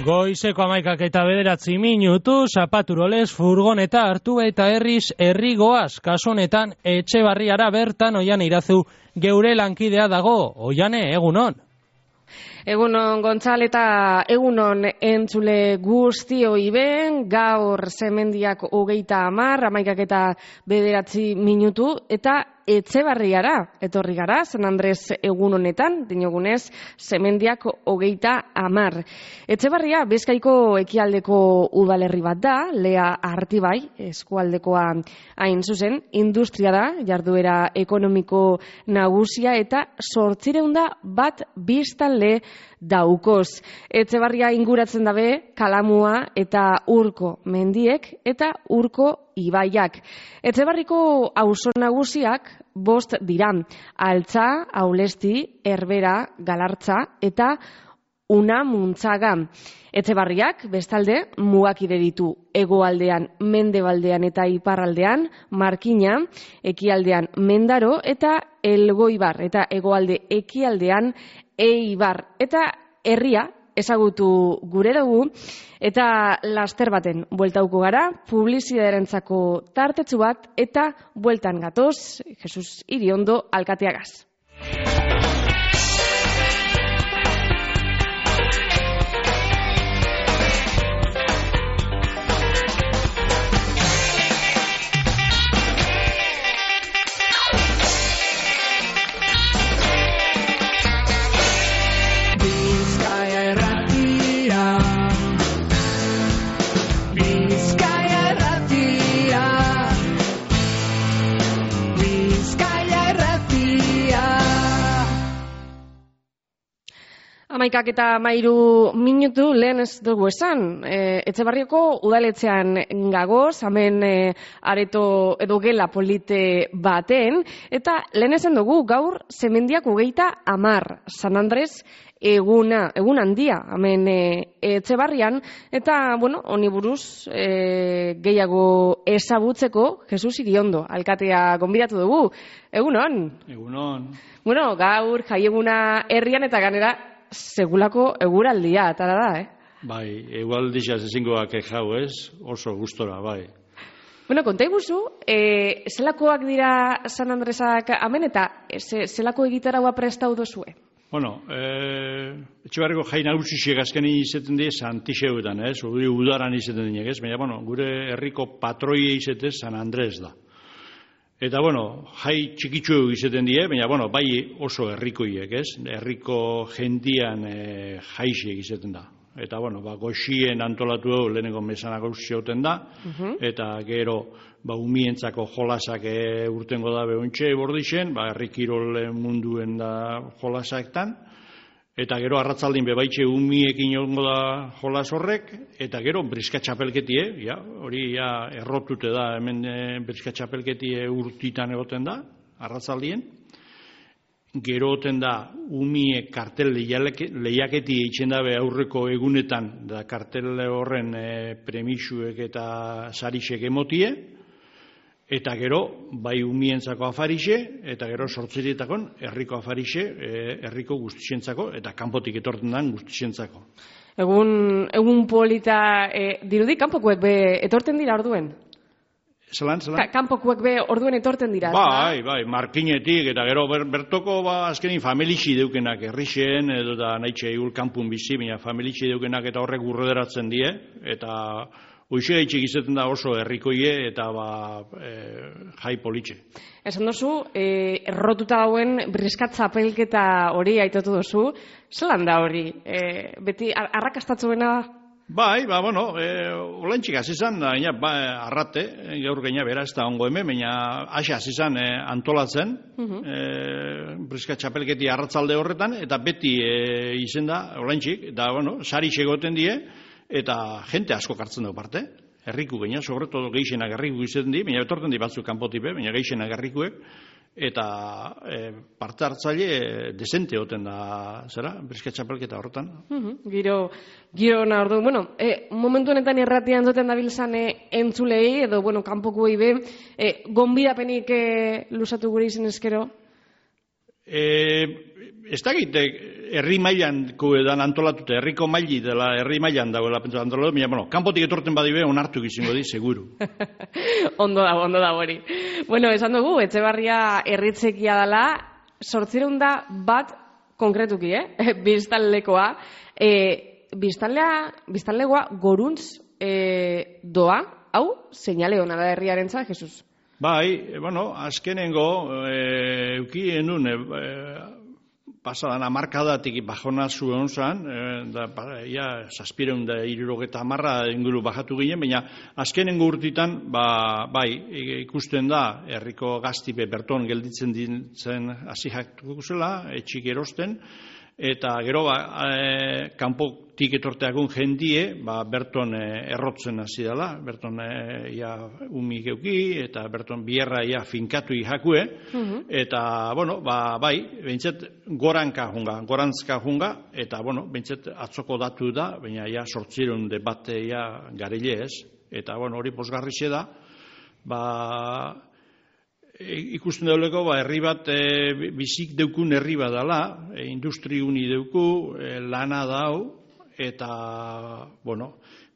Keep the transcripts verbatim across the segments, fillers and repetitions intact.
Goizeko hamaikak eta bederatzi minutu, zapaturolez furgoneta hartu eta herriz herrigoaz, kasu honetan Etxebarriara bertan Oiane Irazu geure lankidea dago. Oiane, egunon. Egunon Gontzal eta egunon entzule guztioi ben, gaur Semendiak hogeita hamar, hamaikak eta bederatzi minutu, eta Etxebarriara etorri gara, San Andres egun honetan, dinogunez, Semendiak hogeita hamar. Etxebarria Bizkaiko ekialdeko udalerri bat da, Lea Artibai, eskualdekoa hain zuzen, industria da, jarduera ekonomiko nagusia eta zortzireunda bat biztanle daukoz. Etxebarria inguratzen dabe Kalamua eta Urko mendiek eta Urko ibaiak. Etxebarriko auzo nagusiak bost dira: Altza, Aulesti, Herbera, Galartza eta Unamuntzaga. Etxebarriak bestalde mugakide ditu: hegoaldean, mendebaldean eta iparraldean Markina, ekialdean Mendaro eta Elgoibar, eta hegoalde ekialdean Eibar, eta herria ezagutu gure dugu, eta laster baten bueltauko gara, publizitatearentzako tartetsu bat, eta bueltan gatoz, Jesus Iriondo alkateagaz. Hamaikak eta mairu minutu lehen ez dugu esan. E, Etxebarrioko udaletxean gagoz, hemen e, areto edo gela polite baten, eta lehen esan dugu gaur Semendiak hogeita hamar, San Andres eguna, egun handia, hemen e, Etxebarrian, eta, bueno, honi buruz e, gehiago ezagutzeko Jesus Iriondo alkatea gonbidatu dugu. Egunon? Egunon. Bueno, gaur jaieguna herrian eta ganera segulako eguraldia, atara da, eh? Bai, eguraldia ezingoak jau, ez? Oso gustora, bai. Bueno, konta iguzu, e, zelakoak dira San Andresak hemen eta ze, zelako egitaraua prestau dozue? Bueno, e, Etxebarriko jai nagusiak azkenin izaten die Santixeuetan, ez? Uri udaran izaten dinek, ez? Baina, bueno, gure herriko patroia izatez San Andres da. Eta, bueno, jai txikitsu izaten die, baina, bueno, bai oso herrikoiek, ez? Herriko jendian e, jaixiek izaten da. Eta, bueno, ba, goxien antolatu dugu lehenengo mesanak zioten da, uh-huh. Eta gero, ba, umientzako jolasak e, urtengo da behontxe bordixen, ba, herrikirol munduen da jolasaktan, eta gero arratzaldin bebaitxe umiekin egongo da jolas horrek, eta gero briska txapelketie, ja, hori ja errotute da, hemen e, briska txapelketie urtitan egoten da, arratzaldien. Gero oten da umie kartel lehiaketi eitzen dabe aurreko egunetan, da kartel horren e, premisuek eta sarixek emotie, eta gero, bai umientzako afarixe, eta gero sortzerietakon herriko afarixe, herriko guztientzako, eta kanpotik etorten den guztientzako. Egun, egun polita, e, dirudi, kanpokuek be etorten dira orduen? Zelan, zelan? Ka, kanpokuek be orduen etorten dira? Bai, bai, Markinetik, eta gero ber, bertoko, ba, azkenin familixi deukenak herrixen, edo da nahitxe egur kanpun bizi, baina familixi deukenak eta horrek urroderatzen die, eta hoxe gaitxik izaten da oso herrikoie eta ba, e, jai politxe. Esan dozu, e, errotuta dauen briskat zapelketa hori aitotu dozu, zelan da hori? E, beti arrakastatzuena? Bai, ba, bueno, e, olantxik azizan, da, ba, arrate, gaur gaina bera ez da ongo hemen, baina asa azizan e, antolatzen, uh-huh. e, briskat txapelketi arratzalde horretan, eta beti e, izen da, olantxik, eta, bueno, sari segoten die, eta jente asko kartzen dugu parte, herriku gaina, sobretodo geixenak herriku izaten di, baina betorten di batzuk kanpotipe, baina geixenak herrikuek, eta e, parte hartzaile e, desente oten da, zera, briskat txapelketa horretan. Uh-huh. Giro, giro na ordu, bueno, e, momentu honetan erratian zoten dabilzan e, entzulei, edo, bueno, kanpokuei be, e, gonbidapenik e, lusatu gure izen eskero? E, ez da egite, herri mailanko edan antolatute, herriko maili dela herri mailan dagoela pentsa antolatu, baina, bueno, kanpotik etorten badibe onartu izango di, seguru. Ondo da, ondo da hori. Bueno, esan dugu, Etxebarria herritzekia dela, sortzireun da bat konkretuki, eh? Biztanlekoa. E, biztanlea, biztanlegoa goruntz e, doa, hau, seinale hona da herriarentzat, Jesus? Bai, bueno, azkenengo, e, eukien nun, e, pasadan amarkadatik bajona zuen zan, e, da, ja, zazpireun da irurogeta amarra inguru bajatu ginen, baina azkenengo urtitan, ba, bai, ikusten da, herriko gaztipe berton gelditzen ditzen hasi jaktuko zela, etxik erosten, eta gero ba, e, kanpotik etorteakun jendie, ba, berton e, errotzen hasi dela, berton e, ja, umi geuki, eta berton bierra ja, finkatu jakue, uh-huh. Eta, bueno, ba, bai, behintzet goranka junga, gorantzka junga, eta, bueno, behintzet atzoko datu da, baina ja, sortzireun de bate ja, garile ez, eta, bueno, hori posgarrixe da, ba, ikusten dauleko, ba, herri bat, e, bizik deukun herri bat dela, e, industri uni deuku, e, lana dau, eta, bueno,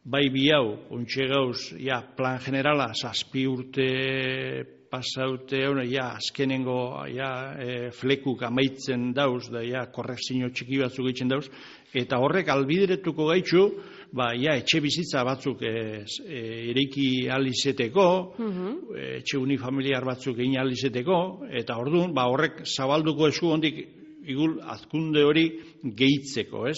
bai bi hau, ontxe gauz, ja, plan generala, zazpi urte pasaute, ja, azkenengo, ja, e, flekuk amaitzen dauz, da, ja, korrekzio txiki batzuk egiten dauz, eta horrek albideretuko gaitxu, ba, ja, etxe bizitza batzuk e, e, ereiki alizeteko, uh-huh. Etxe unifamiliar batzuk egin alizeteko, eta orduan, ba, horrek zabalduko esku hondik igul azkunde hori gehitzeko, ez?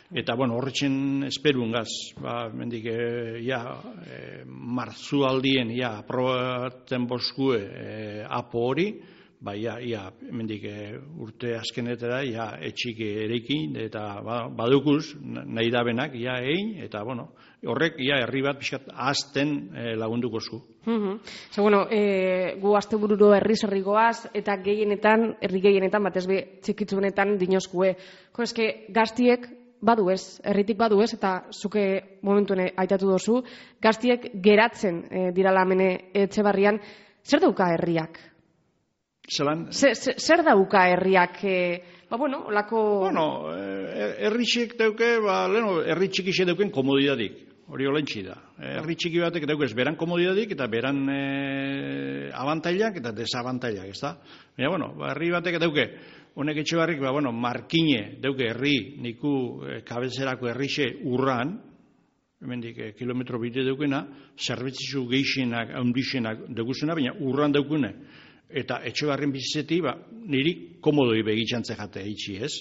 Eta, bueno, horretzen esperun gaz, ba, mendik, e, ja, e, martzu aldien, ja, aprobatzen boskue e, apo hori, ba, ja, ja, mendik, e, urte azkenetara, ja, etxik erekin, eta, ba, badukuz, nahi dabenak, ja, egin, eta, bueno, horrek, ja, herri bat pixkat azten e, lagunduko zu. Uh-huh. Zer, bueno, e, gu azte bururo herri zerrikoaz, eta gehienetan, herri gehienetan, batez be, txikitzunetan dinozkue. Ko, eske, gaztiek, badu ez, herritik badu ez, eta zuke momentuen aitatu dozu, gaztiek geratzen e, dirala amene Etxebarrian, zer dauka herriak? Zelan? Zer, zer dauka herriak, e, ba bueno, olako... Bueno, herritxik dauke, ba, leheno, herri txikixe dauken komodidadik, hori olentsi da. Herri txiki batek daukez beran komodidadik, eta beran e, abantailak eta desabantailak, ez da? Baina, bueno, ba, herri batek dauke, honek Etxebarrik, ba, bueno, markine dauke herri, niku e, kabezerako herrixe urran, hemendik e, kilometro bide daukena, zerbitzizu geixenak, haundixenak daukuzena, baina urran daukune. Eta Etxebarrin bizizeti, ba, niri komodoi begitzantze jate eitzi, ez?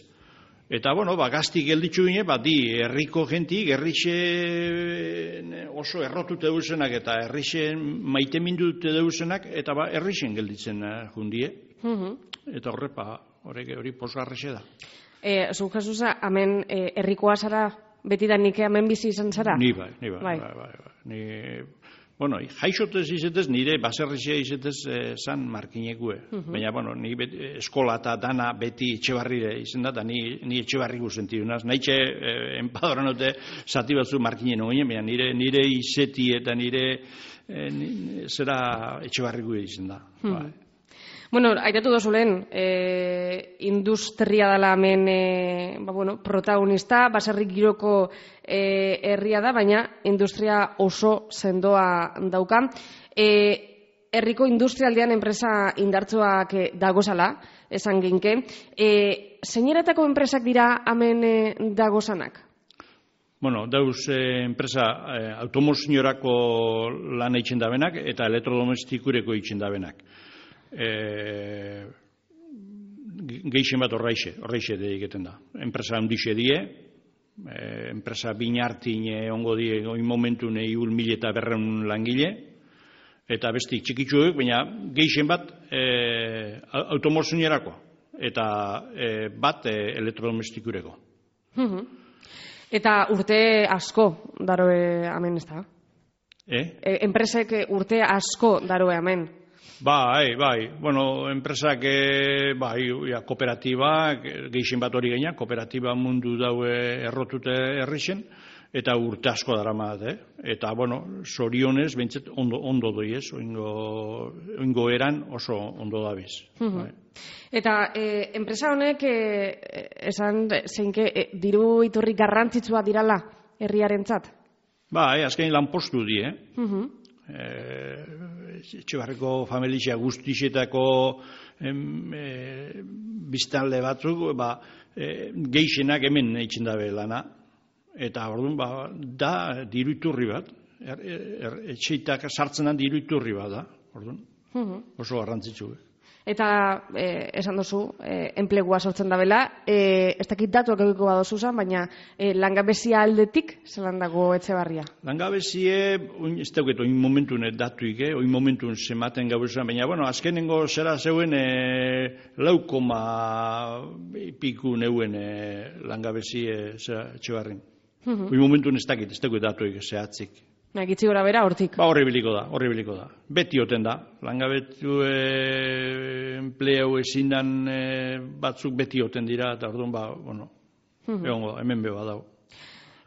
Eta, bueno, ba, gazti gelditzu gine, ba, di, herriko jentik, herrixe oso errotute deusenak, eta herrixe maite mindute deusenak, eta ba, herrixen gelditzen uh, jundie. Uh-huh. Eta horre, ba, hori posgarrixe da. E, Zu, Jesusa, hemen e, herrikoa zara, beti da nik hemen bizi izan zara? Ni bai, ni bai, bai, bai, bai, bai. Ni, bueno, jaixotez izetez, nire baserrixe izetez e, zan markinekue. Uh-huh. Baina, bueno, ni beti, eskola eta dana beti Etxebarrire izen da, eta ni, ni Etxebarriku sentidunaz. Naitxe, e, enpadoran dute zati batzu markinen oginen, baina nire, nire izeti eta nire e, ni, zera Etxebarriku izen da. Uh-huh. Bai. Bueno, aitatu dozu lehen, e, industria dela hemen e, ba, bueno, protagonista, baserrik giroko e, herria da, baina industria oso sendoa dauka. E, herriko industrialdean enpresa indartsuak e, dagozala, esan ginke. E, Zeineretako enpresak dira hemen e, dagozanak? Bueno, dauz eh, enpresa eh, automozioarako lan eitzen dabenak eta elektrodomestikureko eitzen dabenak. E, geixen bat horreixe, horreixe egiten da. Enpresa handixe die, e, enpresa binartin ongo die oin momentu nahi ul mil eta berreun langile, eta bestik txikitzuek, baina geixen bat e, automozioarako eta e, bat e, elektrodomestikureko. Uh-huh. Eta urte asko daroe hemen, ez da? Eh? E, enpresek urte asko daroe hemen. Bai, bai, bueno, enpresak, bai, ja, kooperatiba, geixen bat hori gaina, kooperatiba mundu daue errotute herrixen, eta urte asko daramat, eh? Eta, bueno, sorionez, behintzat ondo, ondo doi ez, oingo, oingo eran oso ondo dabiz. Bai. Eta e, enpresa honek e, esan zeinke e, diru iturri garrantzitsua dirala herriarentzat? Ba, e, azken lanpostu di, eh? Uh-huh. E, Etxebarriko familia guztixetako em, e, biztanle batzuk, ba, e, geixenak hemen eitzen dabe lana. Eta orduan, ba, da diru iturri bat, er, er, etxeitak sartzenan diru iturri bat da, orduan, uh-huh. Oso garrantzitsu. Eta eh, esan duzu, eh, enplegua sortzen dabela, eh, ez dakit datuak egiko badozu zan, baina eh, langabezia aldetik zelan dago Etxebarria? Langabezie, oin, ez dauket, oin momentun datuik, eh? Oin momentun zematen gabezan, baina, bueno, azkenengo zera zeuen eh, laukoma piku neuen eh, langabezie zera Etxebarrin. Uh-huh. Oin momentun ez dakit, ez dauket datuik zehatzik. Gitzi gora bera hortik. Ba, horri biliko da, horri biliko da. Beti oten da. Langabetu e, enpleu ezin dan e, batzuk beti oten dira, eta orduan, ba, bueno, uh-huh. Egongo da, hemen beba dago.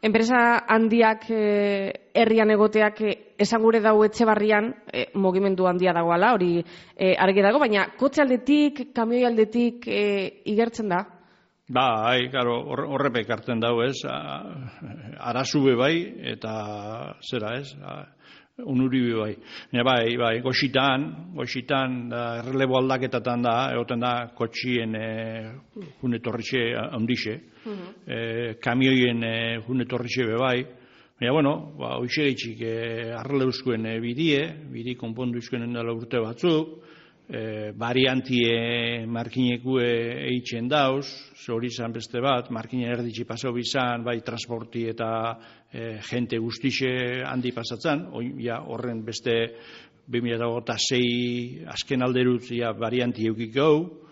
Enpresa handiak eh, herrian egoteak eh, esan gure dau Etxebarrian eh, mugimendu handia dagoala, hori eh, argi dago, baina kotxe aldetik, kamioi aldetik eh, igertzen da? Ba, hai, karo, horrepek hartzen dago, ez, arazube bai, eta zera, ez, unuribi bai. Baina bai, bai, goxitan, goxitan, da, errelebo aldaketatan da, egoten da, kotxien e, junetorrixe handixe, uh-huh. e, kamioien e, junetorrixe be bai. Baina, bueno, ba, hoxe gaitxik e, arreleuzkoen e, bidie, bidi konpondu izkoen dela urte batzuk, E, variantie markinekue eitzen dauz, hori izan beste bat, markinen erditsi pasau bizan, bai transporti eta e, jente guztixe handi pasatzen, oi, ja, horren beste bi mila hogeita sei azken alderutz ja, variantie eukik gau,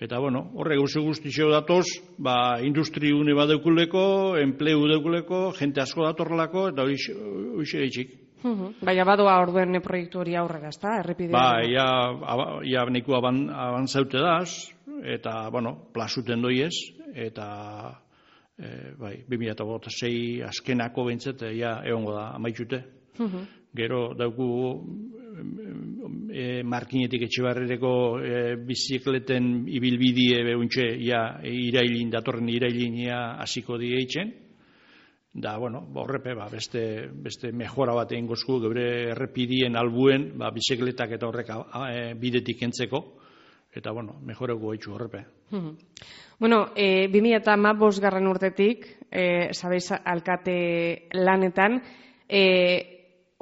eta bueno, horre gauze guztixeo datoz, ba, industri une bat deukuleko, enplegu deukuleko, jente asko datorrelako, eta hori egitxik. Uh-huh. Baina badoa orduen proiektu hori aurrera, ez da? Errepidea. Ba, ja, ja neko aban, abantzaute daz, eta, bueno, plazuten doiez, eta, e, bai, bi mila hogeita sei azkenako behintzat, ja, egongo da, amaitxute. Uh-huh. Gero, dauku, e, markinetik Etxebarrireko e, bizikleten ibilbidie behuntxe, ja, irailin, datorren irailin, ja, hasiko die eitzen. Da, bueno, horrepe, ba, beste, beste mejora bat egin gozku, geure errepidien albuen, ba, bizikletak eta horrek a, a, e, bidetik entzeko, eta, bueno, mejoreko gaitxu horrepe. Uh-huh. Bueno, e, bi mila hamabost garren urtetik, e, sabeiz alkate lanetan, e,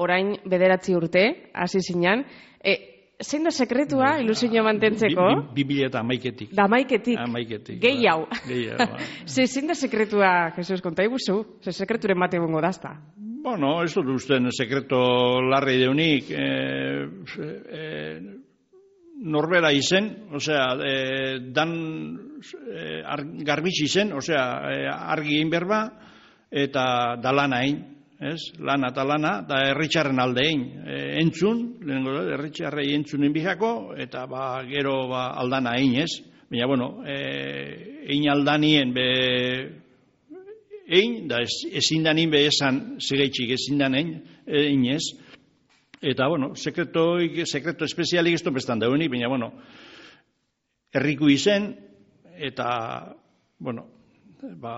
orain bederatzi urte, hasi zinan, e, zein da sekretua ilusioa mantentzeko? Bi mila eta amaiketik. Da amaiketik. Amaiketik. Gehi hau. Gehi hau. Ze, zein da sekretua, Jesus, konta iguzu? Ze sekreturen bate bongo dazta? Bueno, ez dut usten sekreto larri deunik. E, e, norbera izen, osea, e, dan e, ar, garbitsi izen, osea, e, argi egin berba, eta dalana egin. Ez, lana eta lana, da herritxarren alde egin, e, entzun, lehenengo da, herritxarrei entzunen bijako, eta ba, gero ba, aldana egin, ez? Baina, bueno, e, egin aldanien be egin, da ezin danin be esan zigaitxik ezin danin egin, ez? Eta, bueno, sekreto, sekreto espezialik ez topestan dauenik, baina, bueno, herriku izen, eta, bueno, ba,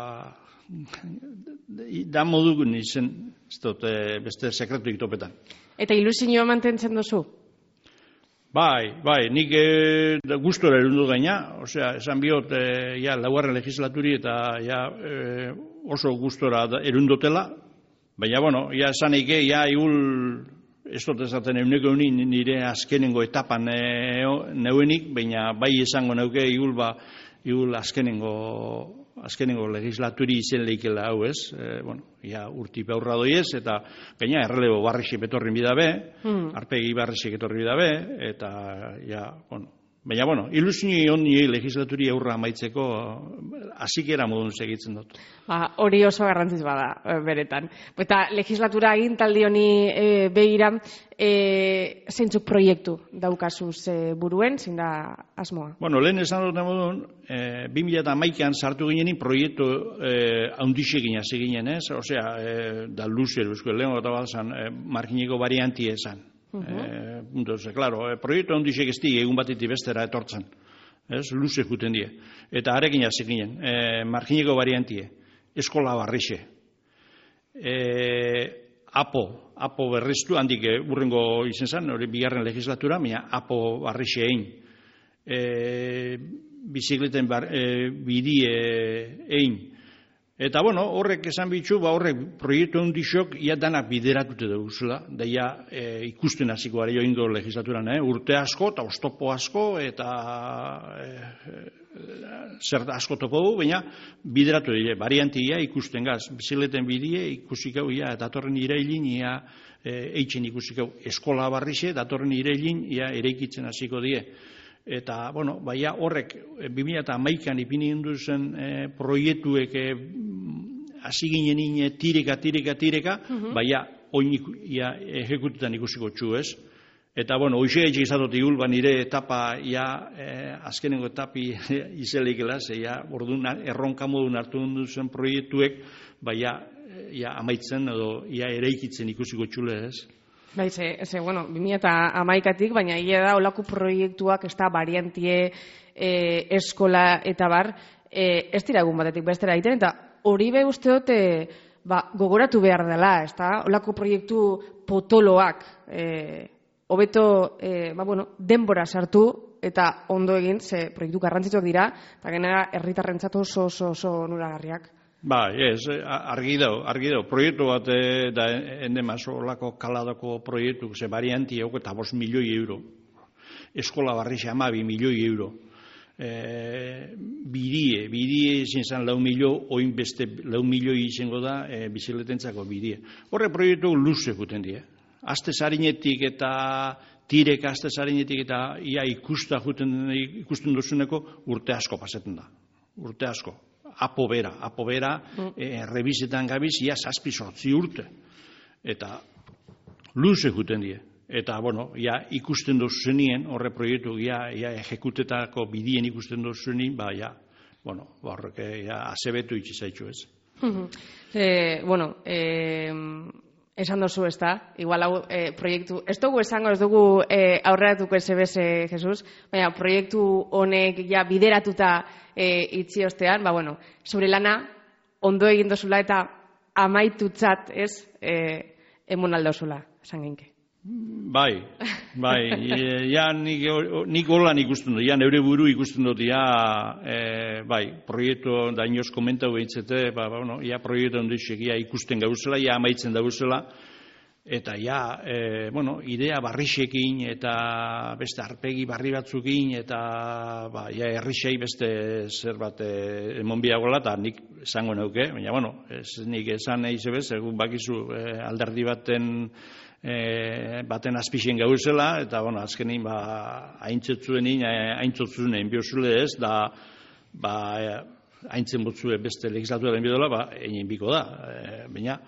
da modu izen, ez dut, beste sekretuik topetan. Eta ilusioa mantentzen duzu? Bai, bai, nik e, gustora erundu gaina, osea, esan biot, e, ja, laugarren legislaturi eta ja, e, oso gustora erundotela, baina, bueno, ja, esan eike, ja, igul, ez dut ezaten euneko eunin nire azkenengo etapan e, neuenik, baina bai esango neuke igul, ba, igul azkenengo azkenengo legislaturi izen leikela hau, ez? E, bueno, ja, urti beurra doiez, eta gaina errelebo barrixek betorrin bidabe, mm. arpegi barrixek etorri bidabe, eta, ja, bueno, Baina, bueno, ilusio honi legislaturi aurra amaitzeko hasikera modun segitzen dut. Ba, hori oso garrantzitsua da, beretan. Eta legislatura agintaldi honi e, begira, e, zeintzuk proiektu daukazuz e, buruen, zein da asmoa? Bueno, lehen esan dut modun, e, bi mila hamaikan sartu ginenin proiektu e, haundixekin hasi ginen, ez? Osea, e, da luzer, lehen gota bat zan, e, margineko variantie esan. Uh -huh. eh, entonces, claro, eh, proiektu handixek ez di, egun batetik bestera etortzen. Ez, luze juten die. Eta arekin hasi ginen, eh, margineko variantie, eskola barrixe. Eh, apo, apo berriztu, handik eh, urrengo izen zen, hori bigarren legislatura, baina apo barrixe egin. Eh, bizikleten bar, eh, bidie egin. Eta, bueno, horrek esan bitxu, ba horrek proiektu handixok ia danak bideratute duguzela, da ia e, ikusten hasiko gara joingo legislaturan, eh? Urte asko eta oztopo asko eta e, e, zer asko topo du, baina bideratu dira, variantia ikusten gaz, bizikleten bidie ikusik hau, ia, datorren irailin, ia e, eitzen ikusik hau, eskola barrixe, datorren irailin, ia eraikitzen hasiko die. Eta, bueno, baina horrek, bi mila hamaikan ipini induzen e, proiektuek hasi e, ginen ine tireka, tireka, tireka, uh -huh. baina oin ia, ejekutetan ikusiko txu, ez? Eta, bueno, hoxe egin izatot igul, ba nire etapa, ia, e, azkenengo etapi izelik elaz, ia, orduan erronka modun hartu duzen proiektuek, baina, ia, amaitzen edo, ia, eraikitzen ikusiko txule, ez? Bai, ze, ze, bueno, bi mila hamaikatik, baina ia da, olako proiektuak, ez da, variantie, e, eskola eta bar, e, ez dira egun batetik bestera egiten, eta hori be uste dute, ba, gogoratu behar dela, ez da, olako proiektu potoloak, e, hobeto, e, ba, bueno, denbora sartu, eta ondo egin, ze proiektu garrantzitsuak dira, eta genera herritarrentzat oso, oso, oso nuragarriak. Ba, ez, argi dau, argi dau. Proiektu bat e, da endemaz olako kaladako proiektu, ze varianti hau eta bost milioi euro. Eskola barrixe amabi milioi euro. E, bidie, bidie izin zen lau milio, oin beste lau milioi izango da e, bizikletentzako bidie. Horre proiektu luze juten die. Aste zarinetik eta tirek aste zarinetik eta ia ikusta juten, ikusten duzuneko urte asko pasetan da. Urte asko. Apo bera, apo bera, mm. e, rebizetan gabiz, ia zazpi sortzi urte. Eta luze juten die. Eta, bueno, ia ikusten dozuzenien, horre proiektu, ia, ia ejekutetako bidien ikusten dozuzenien, ba, ia, bueno, horrek, ia, azebetu itxizaitxu ez. e, bueno, e, esan dozu ez da, igual hau e, proiektu, ez dugu esango, ez dugu e, aurreratuko ez ebez, e, Jesus, baina proiektu honek ja bideratuta e, itzi ostean, ba, bueno, zure lana ondo egin dozula eta amaitutzat, ez, e, emon aldozula, esan genke. Bai, bai, e, ja nik, nik holan ikusten dut, ja neure buru ikusten dut, ja, e, bai, proiektu da inoz komentau behitzete, ba, ba, bueno, ja proiektu ondixek, ja ikusten gauzela, ja amaitzen dauzela, eta ja, e, bueno, idea barrixekin eta beste arpegi barri batzukin, eta, ba, ja, herrixei beste zer bat e, emon biagola, eta nik esango neuke, baina, bueno, ez nik esan nahi zebez, egun bakizu e, alderdi baten, E, baten azpixen gauzela, eta, bueno, azkenin, ba, haintzetzuenin, haintzotzunen biozule ez, da, ba, haintzen botzue beste legislatuaren bidola, ba, egin biko da. E, baina,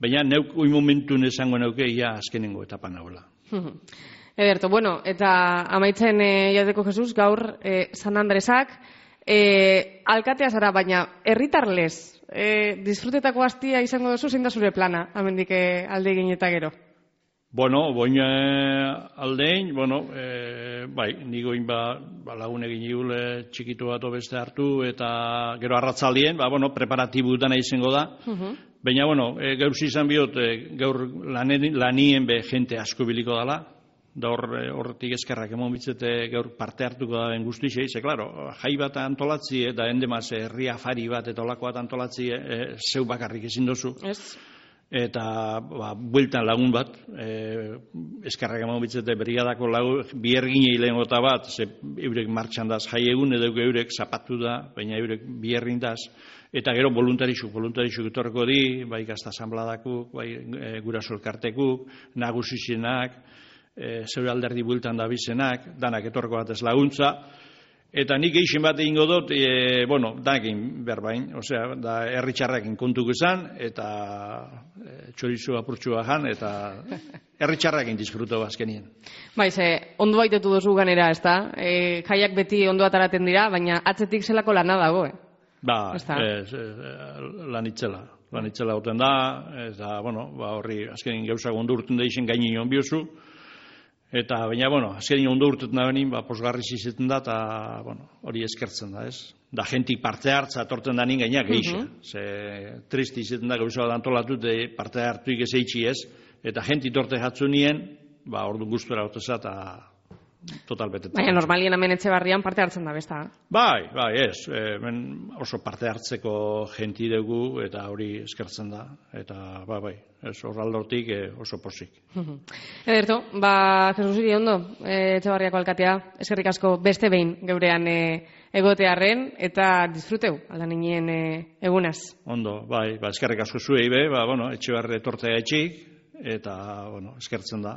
baina neuk oi momentun esango neuke, ia azkenengo etapan nagoela. Ederto, bueno, eta amaitzen e, jateko Jesus, gaur, e, San Andresak, e, alkatea zara, baina, herritarlez, e, disfrutetako hastia izango duzu, zein da zure plana, amendik e, alde egin eta gero? Bueno, boin aldein, bueno, e, bai, nigoin ba, ba lagun egin igule txikitu bat beste hartu, eta gero arratzaldien, ba, bueno, preparatibu dana izango da. Uh-huh. Baina, bueno, e, gaur zizan bihot, e, gaur lanen, lanien be jente asko biliko dala, da hor, horretik eskerrak emon bitzete gaur parte hartuko da den guztixei, ze, klaro, jai bat antolatzi, eta endemaz herri afari bat eta olako bat antolatzi, e, zeu bakarrik ezin dozu. Ez. Eta ba, bueltan lagun bat, e, eskarrak eman bitzete brigadako lagun, bierginei lehen gota bat, ze eurek martxan daz jai egun, edo eurek zapatu da, baina eurek bierrin daz, eta gero voluntarixuk, voluntarixuk etorreko di, bai gazta asambladakuk, bai e, guraso elkartekuk, nagusizienak, e, zeure alderdi bueltan da bizenak, danak etorko bat ez laguntza, eta nik eixin bat egingo dut, e, bueno, danekin berbain, osea, da herri txarrakin kontuko izan, eta e, txorizu apurtxua jan, eta herri txarrakin disfruto azkenien. Bai, ze, ondo baitetu duzu ganera, ez da? E, jaiak beti ondo ataraten dira, baina atzetik zelako lana dago, eh? Ba, ez, lan itzela. Lan itzela goten da, eta, bueno, ba, horri, azkenin gauzak ondo urten da izen gaini nion biozu, eta, baina, bueno, azkenin ondo urtetan da benin, ba, posgarri zizeten da, eta, bueno, hori eskertzen da, ez? Da, jentik parte hartza torten da nin gainak eixa. Uh -huh. Ze, tristi izeten da, gauza bat antolatut, parte hartuik ez eitxi ez, eta jentik torte jatzu nien, ba, ordu guztura goteza, eta total betetzen. Baina normalien hemen Etxebarrian parte hartzen da, besta? Bai, bai, ez. Hemen oso parte hartzeko jenti dugu eta hori eskertzen da. Eta, bai, bai, ez horraldortik oso posik. Ederto, ba, Jesus Iri ondo, Etxebarriako alkatea, eskerrik asko beste behin geurean egotearren, eta disfruteu, aldan inien egunaz. Ondo, bai, ba, eskerrik asko zuei be, ba, bueno, Etxebarri etortzea etxik, eta, bueno, eskertzen da,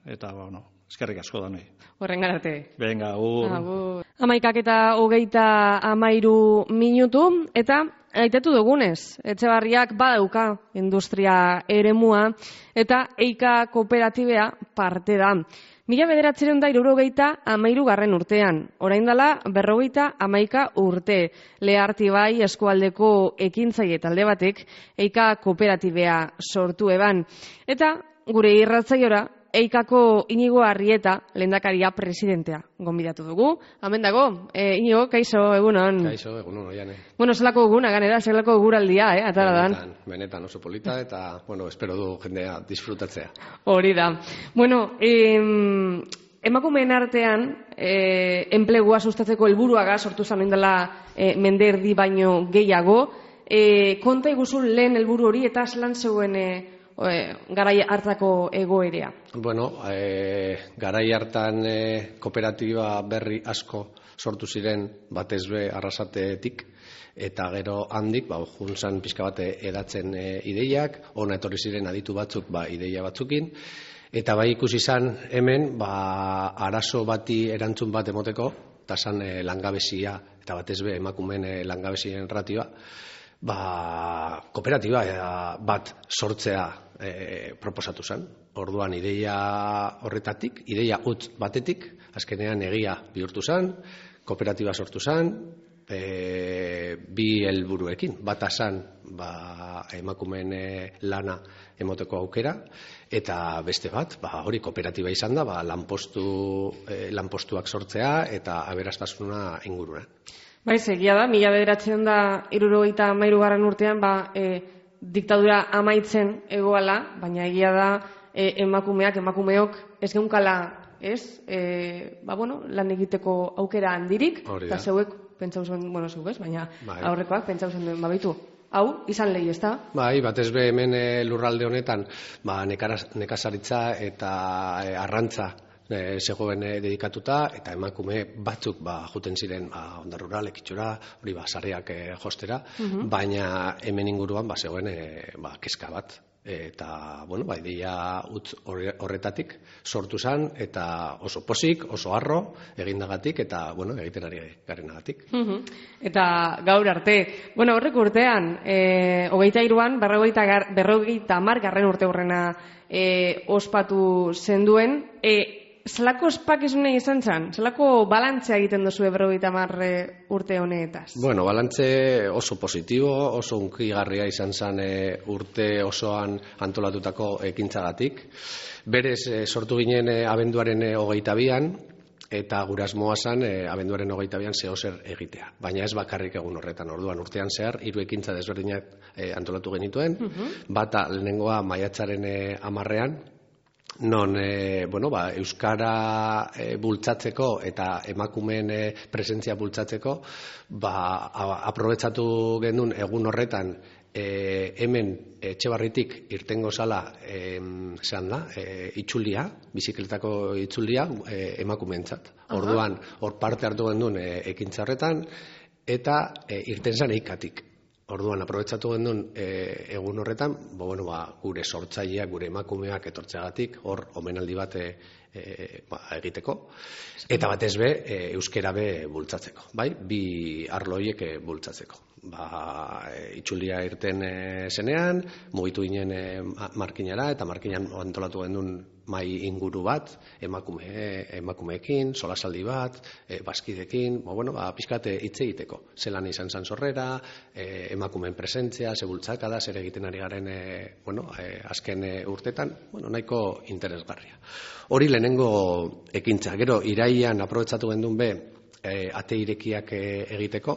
eta, bueno, eskerrik asko da nahi. Horren garate. Venga, agur. Amaikak eta hogeita amairu minutu, eta aitetu dugunez, Etxebarriak badauka industria eremua, eta Eika kooperatibea parte da. Mila bederatzireun da irurogeita amairu garren urtean, orain dela berrogeita amaika urte, Lehartibai eskualdeko ekintzaile talde batek Eika kooperatibea sortu eban. Eta gure irratzaiora, Eikako Inigo Arrieta, lehendakaria presidentea, gonbidatu dugu. Hemen dago, e, Inigo, kaixo, egunon. Kaixo, egunon, oiane. Bueno, zelako eguna, ganera, zelako eguraldia, eh, atara dan. Benetan, benetan oso polita, eta, bueno, espero du jendea disfrutatzea. Hori da. Bueno, em, emakumeen artean, e, enplegua sustatzeko helburuaga sortu zanen dela e, mende erdi baino gehiago. E, konta iguzun lehen helburu hori, eta zelan zeuen e, garai hartako egoerea? Bueno, e, garai hartan e, kooperatiba berri asko sortu ziren batez be Arrasatetik, eta gero handik, ba, juntzan pixka bate edatzen e, ideiak, ona etorri ziren aditu batzuk, ba, ideia batzukin, eta bai ikusi izan hemen, ba, arazo bati erantzun bat emoteko, eta zan e, langabezia, eta batez be emakumeen e, langabezien ratioa, ba, kooperatiba bat sortzea e, proposatu zen. Orduan ideia horretatik, ideia utz batetik, azkenean egia bihurtu zen, kooperatiba sortu zen, e, bi helburuekin. Bata zen, ba, emakumeen e, lana emoteko aukera, eta beste bat, ba, hori kooperatiba izan da, ba, lanpostu, e, lanpostuak sortzea eta aberastasuna inguruan. Bai, egia da, mila bederatzireun da hirurogeita hamairu garren urtean, ba, e, diktadura amaitzen egoala, baina egia da e, emakumeak, emakumeok ez geunkala, ez? E, ba, bueno, lan egiteko aukera handirik, eta zeuek, pentsau zen, bueno, zeuek ez, baina bai. Aurrekoak pentsau zen duen, babitu, hau, izan lehi, ez da? Bai, batez be hemen e, lurralde honetan, ba, nekazaritza eta e, arrantza E, zegoen e, dedikatuta, eta emakume batzuk ba, juten ziren ba, onda rural, ekitxura, hori ba, sarriak e, jostera, uh-huh. Baina hemen inguruan ba, zegoen e, ba, kezka bat. Eta, bueno, ba, ideia utz horretatik sortu zen, eta oso posik, oso harro, egindagatik, eta, bueno, egiten ari garenagatik. Uh-huh. Eta gaur arte, bueno, horrek urtean, e, hogeita iruan, berrogeita hamar garren urte horrena e, ospatu zenduen, e, zelako ospakizune izan zen? Zelako balantzea egiten duzu berrogeita hamar urte honetaz? Bueno, balantze oso positibo, oso unkigarria izan zen e, urte osoan antolatutako ekintzagatik. Berez, e, sortu ginen e, abenduaren e, hogeita bian, eta gure asmoa zen e, abenduaren hogeita bian zehozer egitea. Baina ez bakarrik egun horretan, orduan urtean zehar, hiru ekintza desberdinak e, antolatu genituen, uh-huh. Bata lehenengoa maiatzaren e, amarrean, non e, bueno, ba, euskara e, bultzatzeko eta emakumeen e, presentzia bultzatzeko, ba, aprobetsatu genuen egun horretan e, hemen Etxebarritik irtengo zala e, zean da, e, itxulia, bizikletako itxulia e, emakumeentzat. Orduan, hor parte hartu genuen e, ekintza horretan, eta e, irten zen Eikatik. Orduan, aprobetsatu genuen e, egun horretan, bo, bueno, ba, gure sortzaileak, gure emakumeak etortzeagatik, hor omenaldi bat e, e, ba, egiteko, eta batez be, e, euskera be bultzatzeko, bai? Bi arlo horiek e, bultzatzeko. Ba, e, itxulia irten e, zenean, mugitu ginen e, markinara, eta markinan antolatu gendun mai inguru bat, emakume, emakumeekin, solasaldi bat, e, baskidekin, ba, bueno, ba, pixkat hitz egiteko. Zelan izan zan sorrera, e, emakumeen presentzia, ze bultzakada, zer egiten ari garen e, bueno, e, azken e, urtetan, bueno, nahiko interesgarria. Hori lehenengo ekintza. Gero, iraian aprobetsatu gendun be, e, ate irekiak e, egiteko,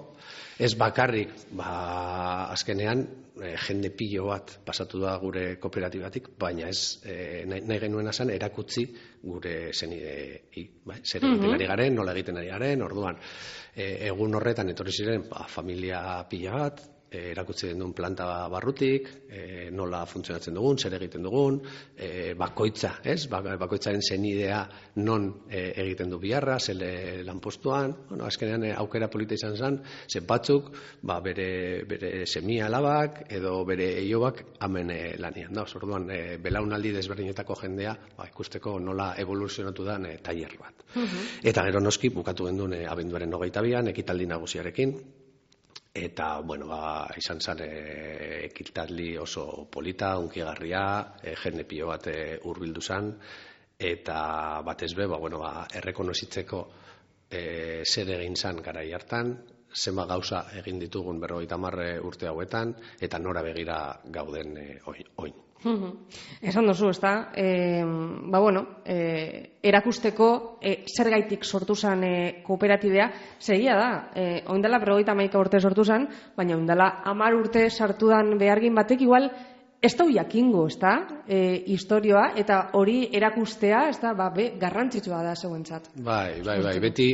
ez bakarrik, ba, azkenean, e, jende pilo bat pasatu da gure kooperatibatik, baina ez e, nahi, nahi genuena zen erakutsi gure zenidei, bai? Zer egiten ari garen, nola egiten ari garen, orduan, e, egun horretan etorri ziren ba, familia pila bat, e, erakutsi den duen planta barrutik, e, nola funtzionatzen dugun, zer egiten dugun, e, bakoitza, ez? Ba, bakoitzaren zenidea non e, egiten du biharra, zele lanpostuan, bueno, azkenean e, aukera polita izan zen, zen batzuk, ba, bere, bere semia alabak, edo bere eiobak amen e, lanian. Da, orduan, e, belaunaldi desberdinetako jendea, ba, ikusteko nola evoluzionatu den e, tailer bat. Uh-huh. Eta gero noski, bukatu gendun e, abenduaren hogeita bian, ekitaldi nagusiarekin, eta, bueno, ba, izan zen e, ekitaldi oso polita, unkigarria, e, jende pilo bat e, hurbildu zen, eta batez be, ba, bueno, ba, errekonozitzeko e, zer egin zen garai hartan, zenba gauza egin ditugun berrogeita hamar urte hauetan, eta nora begira gauden e, oin. Esan duzu, ez da? E, ba, bueno, e, erakusteko e, zergaitik sortu zen e, kooperatidea, segia da, e, oindala berrogeita hamaika urte sortu zen, baina oindala hamar urte sartu dan behargin batek, igual, ez da jakingo, ez da, e, historioa, eta hori erakustea, ez da, ba, be, garrantzitsua da zeuentzat. Bai, bai, bai, beti,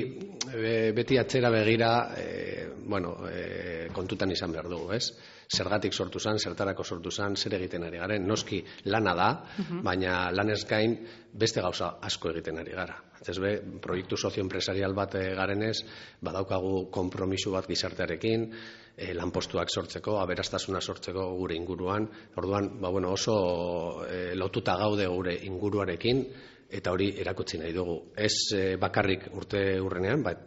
be, beti atzera begira, e, bueno, e, kontutan izan behar dugu, ez? Zergatik sortu zen, zertarako sortu zen, zer egiten ari garen. Noski lana da, uh-huh. baina lanez gain beste gauza asko egiten ari gara. Ez be, proiektu sozioenpresarial bat garenez, badaukagu konpromisu bat gizartearekin, e, lanpostuak sortzeko, aberastasuna sortzeko gure inguruan. Orduan, ba, bueno, oso e, lotuta gaude gure inguruarekin, eta hori erakutsi nahi dugu. Ez e, bakarrik urte urrenean, bat,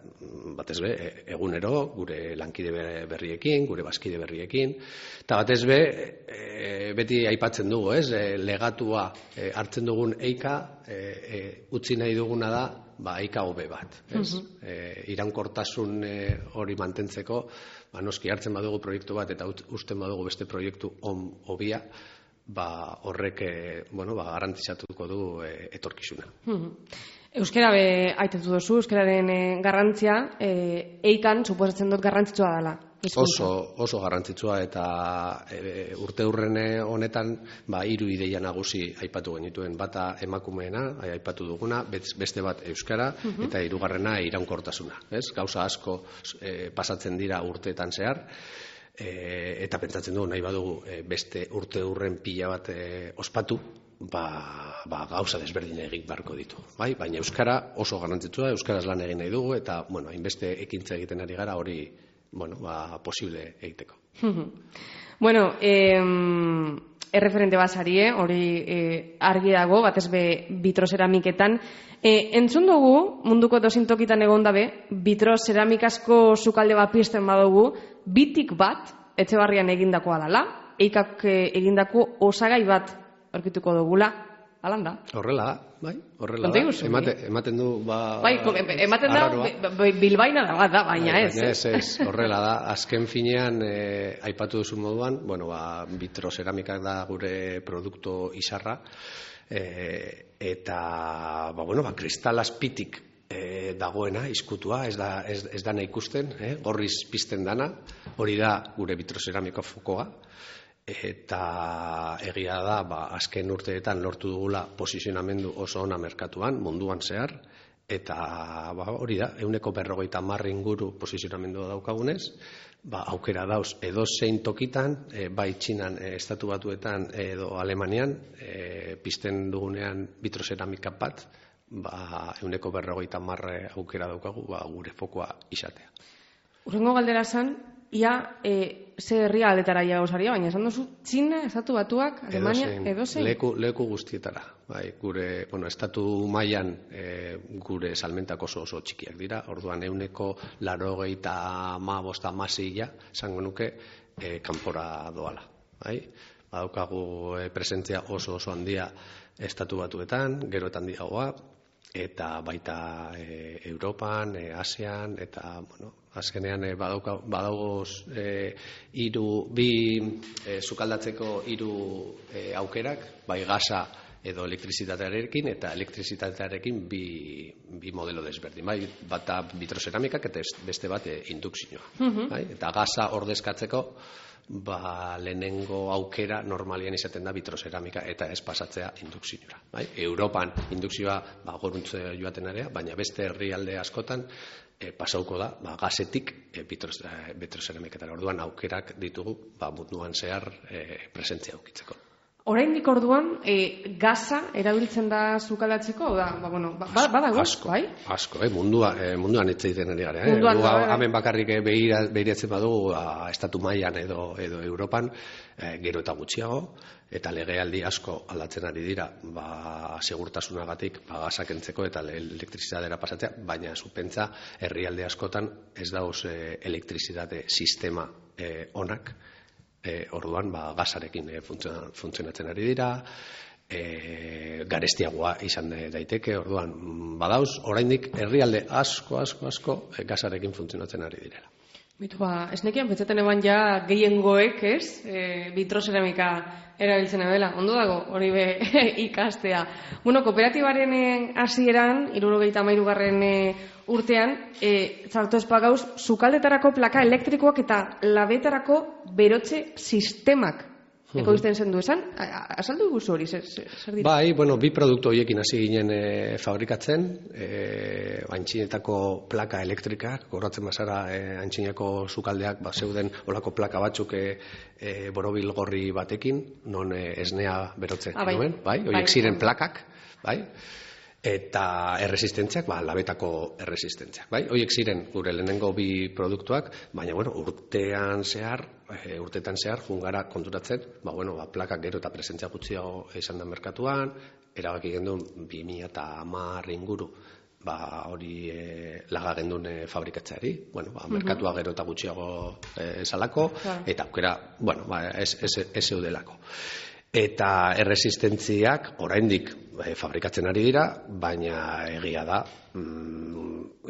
batez be, egunero, gure lankide berriekin, gure bazkide berriekin, eta batez be, e, beti aipatzen dugu, ez? E, legatua e, hartzen dugun eika, e, e, utzi nahi duguna da, ba, eika hobe bat, ez? Uh-huh. e, iraunkortasun e, hori mantentzeko, ba, noski hartzen badugu proiektu bat, eta usten badugu beste proiektu on hobia, ba, horrek eh, bueno, ba, garantizatuko du eh, etorkizuna. Euskara be aitetu duzu, euskararen eh, garrantzia, eh, eikan suposatzen dut garrantzitsua dela. Oso, oso garrantzitsua, eta e, urte urrene honetan ba, hiru ideia nagusi aipatu genituen. Bata emakumeena, aipatu duguna, beste bat euskara, uh-huh. eta hirugarrena iraunkortasuna. Ez? Gauza asko e, pasatzen dira urteetan zehar, E, eta pentsatzen dugu nahi badugu e, beste urte urren pila bat e, ospatu, ba, ba, gauza desberdin egin barko ditu. Bai? Baina euskara oso garrantzitsua, euskaraz lan egin nahi dugu, eta bueno, hainbeste ekintza egiten ari gara hori bueno, ba, posible egiteko. Bueno, eh, erreferente basari, eh? hori eh, argi dago, batez be bitrozeramiketan. Eh, entzun dugu, munduko dozintokitan egon dabe, bitrozeramikasko sukalde bat pizten badugu, bitik bat, Etxebarrian egindakoa dela, eikak egindako osagai bat aurkituko dugula, alan da? Horrela da, bai, horrela da. Emate, ematen du, ba... Bai, ematen da, bilbaina da bat da, baina ez. Baina ez, ez, horrela da. Azken finean, eh, aipatu duzu moduan, bueno, ba, bitrozeramikak da gure produktu izarra, eh, eta, ba, bueno, ba, kristal azpitik E, dagoena, izkutua, ez da, ez, ez dana ikusten, eh? gorriz pizten dana, hori da gure bitrozeramiko fokoa, eta egia da, ba, azken urteetan lortu dugula posizionamendu oso ona merkatuan, munduan zehar, eta ba, hori da, ehuneko berrogeita hamar inguru posizionamendua daukagunez, ba, aukera dauz edozein tokitan, e, bai Txinan, e, Estatu Batuetan edo Alemanian, e, pizten dugunean bitrozeramika bat, ba, euneko berrogeita marre aukera daukagu, ba, gure fokoa izatea. Urrengo galdera zan, ia e, ze herria aletara iagozaria, baina esan duzu, Txina, Estatu Batuak, Alemania, edozein? Leku, leku guztietara. Bai, gure, bueno, estatu mailan e, gure salmentak oso oso txikiak dira, orduan euneko laurogeita hamabost hamasei esango nuke e, kanpora doala. Bai? Badaukagu e, presentzia oso oso handia Estatu Batuetan, gero eta handiagoa, eta baita e, Europan, e, Asian, eta, bueno, azkenean e, badaugoz e, iru, bi e, sukaldatzeko hiru e, aukerak, bai gasa edo elektrizitatearekin, eta elektrizitatearekin bi, bi modelo desberdin. Bai, bata vitroceramikak eta beste bat e, indukzioa. Uh-huh. Bai? Eta gasa ordezkatzeko, ba, lehenengo aukera normalian izaten da vitroceramika eta ez pasatzea indukzioa. Bai? Europan indukzioa ba, goruntze joaten area, baina beste herrialde askotan e, pasauko da ba, gasetik e, vitroceramiketara. Orduan aukerak ditugu ba, munduan zehar e, presentzia aukitzeko. Oraindik orduan, e, gaza erabiltzen da sukaldatzeko, da, ba, bueno, ba, badago, asko, bai? Asko, eh? Mundua, eh, munduan hitz egiten ari gara. Eh? Munduan, Gu, bai, bai. Hemen bakarrik behira, behiratzen badugu a, estatu mailan edo, edo Europan, eh, gero eta gutxiago, eta legealdi asko aldatzen ari dira, ba, segurtasunagatik, ba, gazak entzeko eta elektrizitadera pasatzea, baina zupentza herrialde askotan ez dauz eh, elektrizitate sistema eh, onak, E, orduan ba, gasarekin e, funtzionatzen ari dira, e, garestiagoa izan daiteke, orduan badauz, oraindik herrialde asko, asko, asko e, gasarekin funtzionatzen ari direla. Bitu, ba, esnekian pentsaten eban ja gehiengoek, ez? E, vitroceramika erabiltzen dela. Ondo dago, hori be ikastea. Bueno, kooperatibaren hasieran, hirurogeita hamairugarren e, urtean, e, zartu espagauz, sukaldetarako plaka elektrikoak eta labetarako berotze sistemak ekoizten zen du esan. Azaldu guzu hori, zer, zer dira? Bai, bueno, bi produktu horiekin hasi ginen e, fabrikatzen, e, antxinetako plaka elektrikak, goratzen bazara e, antxineko sukaldeak, ba, zeuden olako plaka batzuk e, e, borobil gorri batekin, non e, esnea berotzen ah, bai. Nuen, bai, horiek bai. Ziren plakak, bai, eta erresistentziak, ba, labetako erresistentziak, bai? Horiek ziren gure lehenengo bi produktuak, baina, bueno, urtean zehar, e, urtetan zehar, jungara konturatzen, ba, bueno, ba, plakak gero eta presentzia gutxiago izan da merkatuan, erabaki gendun bi mila hamar inguru, ba, hori e, laga gendun e, fabrikatzeari, bueno, ba, merkatua gero eta gutxiago e, salako, eta aukera, bueno, ba, ez, ez, ez eudelako. Eta erresistentziak oraindik e, fabrikatzen ari dira, baina egia da mm,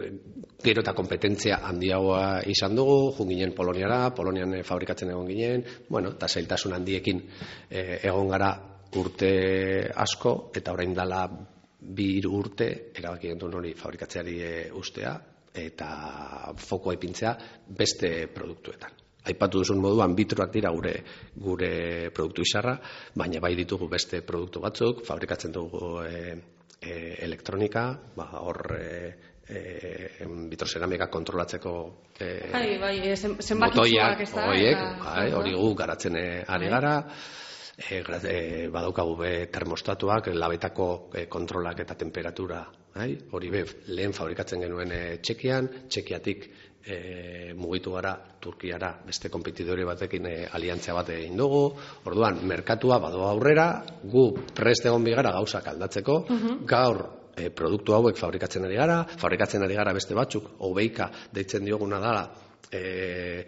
gero eta kompetentzia handiagoa izan dugu, jun ginen Poloniara, Polonian e, fabrikatzen egon ginen, bueno, eta zailtasun handiekin e, egon gara urte asko, eta orain dela bi hiru urte erabaki genuen hori fabrikatzeari e, ustea, eta fokoa ipintzea beste produktuetan. Aipatu duzun moduan bitroak dira gure gure produktu izarra, baina bai ditugu beste produktu batzuk, fabrikatzen dugu e, e, elektronika, ba, hor e, e, vitroceramika kontrolatzeko e, bai, bai, zenbakitzuak ez da, horiek, bai, hori gu garatzen ari gara, e, e, badaukagu be termostatuak, labetako e, kontrolak eta temperatura, bai, hori be lehen fabrikatzen genuen e, Txekian, Txekiatik E, mugitu gara Turkiara beste konpetidore batekin e, aliantzia bat egin dugu, orduan merkatua badoa aurrera, gu prest egon bigara gauzak aldatzeko, uh-huh. Gaur e, produktu hauek fabrikatzen ari gara, fabrikatzen ari gara beste batzuk, hobeika deitzen dioguna dela, e,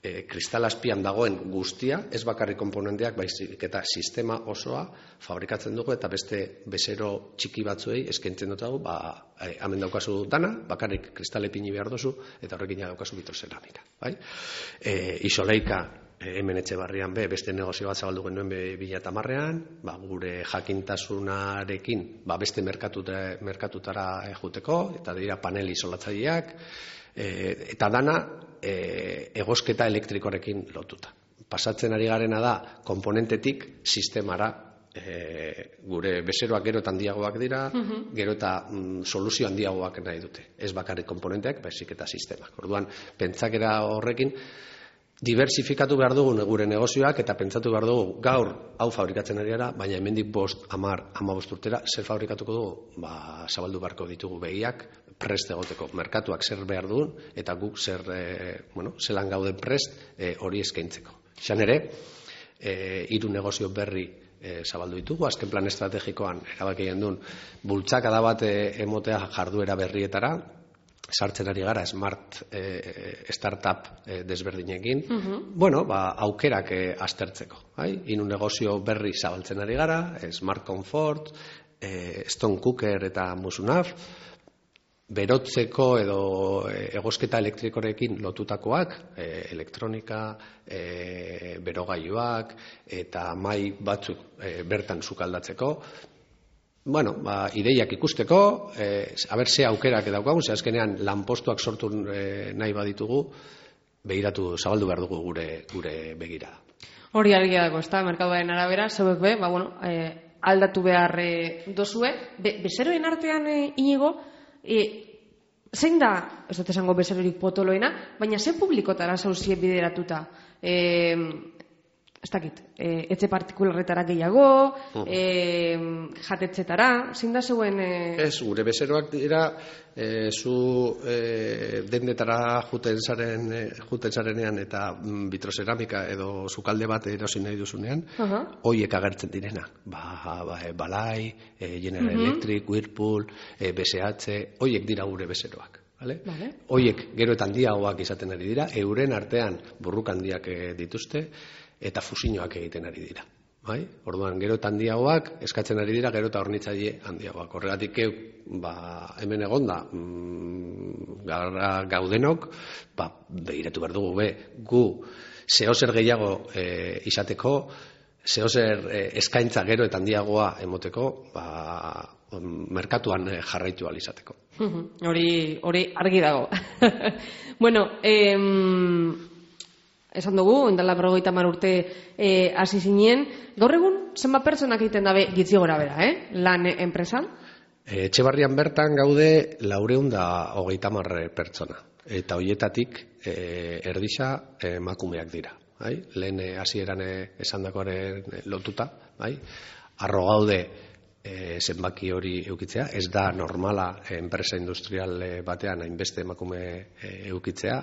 e, kristal azpian dagoen guztia, ez bakarrik komponenteak, baizik eta sistema osoa fabrikatzen dugu, eta beste bezero txiki batzuei eskaintzen dut dago, ba, e, hemen daukazu dana, bakarrik kristal ipini behar duzu, eta horrekin daukazu vitroceramika. Bai? E, isoleika, e, hemen Etxebarrian be, beste negozio bat zabaldu genuen be bi mila hamarrean, ba, gure jakintasunarekin, ba, beste merkatuta, merkatutara e, juteko, eta dira panel isolatzaileak, e, eta dana, E, egosketa elektrikorekin lotuta. Pasatzen ari garena da komponentetik sistemara, e, gure bezeroak gero eta handiagoak dira, uh-huh. Gero eta mm, soluzio handiagoak nahi dute. Ez bakarrik komponenteak, baizik eta sistemak. Orduan, pentsakera horrekin diversifikatu behar dugu gure negozioak, eta pentsatu behar dugu gaur hau fabrikatzen ari gara, baina hemendik bost, hamar, hamabost urtera zer fabrikatuko dugu, ba, zabaldu beharko ditugu begiak, prest egoteko. Merkatuak zer behar duen, eta guk zer, e, bueno, zelan gauden prest e, hori eskaintzeko. Izan ere, e, hiru negozio berri e, zabaldu ditugu, azken plan estrategikoan erabakien duen, bultzakada bat e, emotea jarduera berrietara, sartzen ari gara smart eh, startup eh, desberdinekin, uh-huh. bueno, ba, aukerak eh, aztertzeko. Bai? Inu negozio berri zabaltzen ari gara, eh, Smart Comfort, eh, Stone Cooker eta Musunaf, berotzeko edo eh, egosketa elektrikorekin lotutakoak, eh, elektronika, eh, berogailuak eta mai batzuk eh, bertan sukaldatzeko. Bueno, ba, ideiak ikusteko, eh, aber ze aukerak daukagun, ze azkenean lanpostuak sortu eh, nahi baditugu, begiratu, zabaldu behar dugu gure, gure begirada. Hori argia dago, ez da, merkaduaren arabera, zeuek be, ba, bueno, eh, aldatu behar eh, dozue. Be, bezeroen artean eh, inigo, eh, zein da, ez dut esango bezerorik potoloena, baina ze publikotara zauzie bideratuta? Eh, ez dakit, e, etxe partikularretara gehiago, uh-huh. e, jatetzetara, zein da zeuen... E... Ez, gure bezeroak dira, e, zu e, dendetara juten zaren, e, juten zarenean eta mm, vitroceramika edo sukalde bat erosi nahi duzunean, uh-huh. hoiek agertzen direna. Ba, ba, e, Balai, e, General uh-huh. Electric, Whirlpool, e, B S H, hoiek dira gure bezeroak. Vale? Vale. Hoiek gero eta handiagoak izaten ari dira, euren artean burruk handiak e, dituzte, eta fusioak egiten ari dira. Bai? Orduan, gero eta handiagoak eskatzen ari dira, gero eta hornitzaile handiagoak. Horregatik, ba, hemen egonda, mm, gara gaudenok, ba, begiratu behar dugu, be, gu zehozer gehiago e, izateko, zehozer e, eskaintza gero eta handiagoa emoteko, ba, merkatuan jarraitu ahal izateko. Hori, hori argi dago. Bueno, em... esan dugu, endala berrogeita hamar urte hasi e, zinen. Gaur egun, zenbat pertsonak egiten dabe gitzi gora bera, eh? lan enpresan? E, Etxebarrian bertan gaude laureun da hogeita hamar pertsona. Eta hoietatik e, erdisa emakumeak dira. Bai? Lehen hasieran esandakoaren lotuta. Bai? Arro gaude e, zenbaki hori eukitzea. Ez da normala enpresa industrial batean hainbeste emakume e, eukitzea.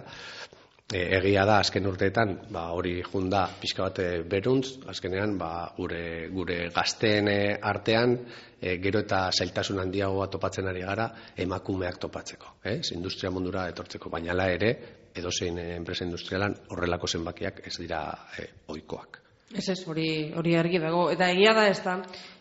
Egia da, azken urteetan, ba, hori junda pixka bat beruntz, azkenean ba, gure, gure gazteen artean e, gero eta zailtasun handiagoa topatzen ari gara emakumeak topatzeko, eh? Industria mundura etortzeko, baina la ere, edozein enpresa industrialan horrelako zenbakiak ez dira e, ohikoak. Ez ez, hori, hori argi dago, eta egia da ez da,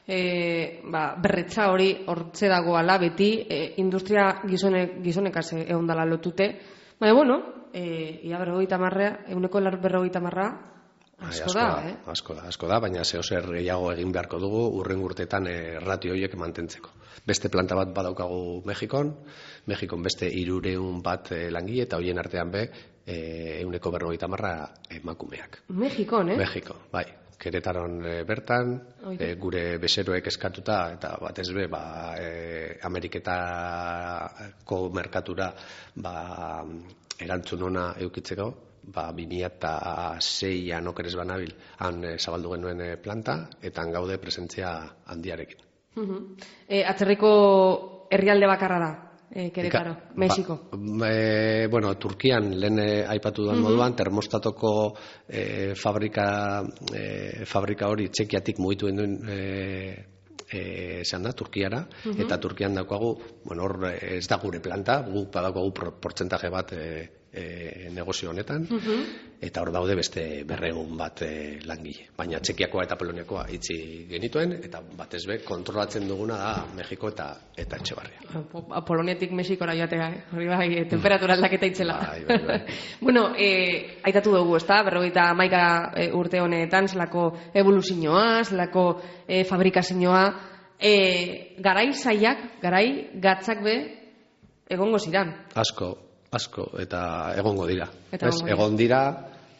e, ba, berretza hori hortze dagoala beti, e, industria gizonek, gizonekaz egon dala lotute, baina, bueno, E, ia berrogeita marrea, eguneko berrogeita marra, asko, asko da, da, eh? Asko da, asko da, baina zehozer gehiago egin beharko dugu, urren urtetan e, ratio horiek mantentzeko. Beste planta bat badaukagu Mexikon, Mexikon beste hirureun bat e, langile, eta horien artean be, e, eguneko berrogeita marra emakumeak. Mexikon, eh? Mexiko, bai. Keretaron e, bertan, e, gure bezeroek eskatuta, eta batez be, ba, e, Ameriketako merkatura, ba, erantzun ona eukitzeko, ba, bi mila seian okeres banabil, han e, zabaldu genuen e, planta, eta han gaude presentzia handiarekin. Uh-huh. E, atzerriko herrialde bakarra da, e, Keretaro, Eka, Mexiko? Ba, e, bueno, Turkian, lehen e, aipatu duan uh-huh. moduan, termostatoko e, fabrika, e, fabrika hori txekiatik mugitu duen e, E, esan da, Turkiara, uh-huh. eta Turkian daukagu, bueno, hor ez da gure planta, gu badaukagu portzentaje bat e, e, negozio honetan, uh-huh. eta hor daude beste berregun bat e, langile. Baina Txekiakoa eta Poloniakoa itxi genituen, eta batez be, kontrolatzen duguna da Mexiko eta eta Etxebarria. Poloniatik Mexikora joatea, eh? Hori bai, temperatura aldaketa itzela. Bai, bai, bai. Bueno, e, aitatu dugu, ez da, berrogeita hamaika e, urte honetan, zelako evoluzioa, zelako e, fabrikazioa, e, garai zaiak, garai gatzak be, egongo ziran. Asko, asko, eta egongo dira. Eta ez, egon dira,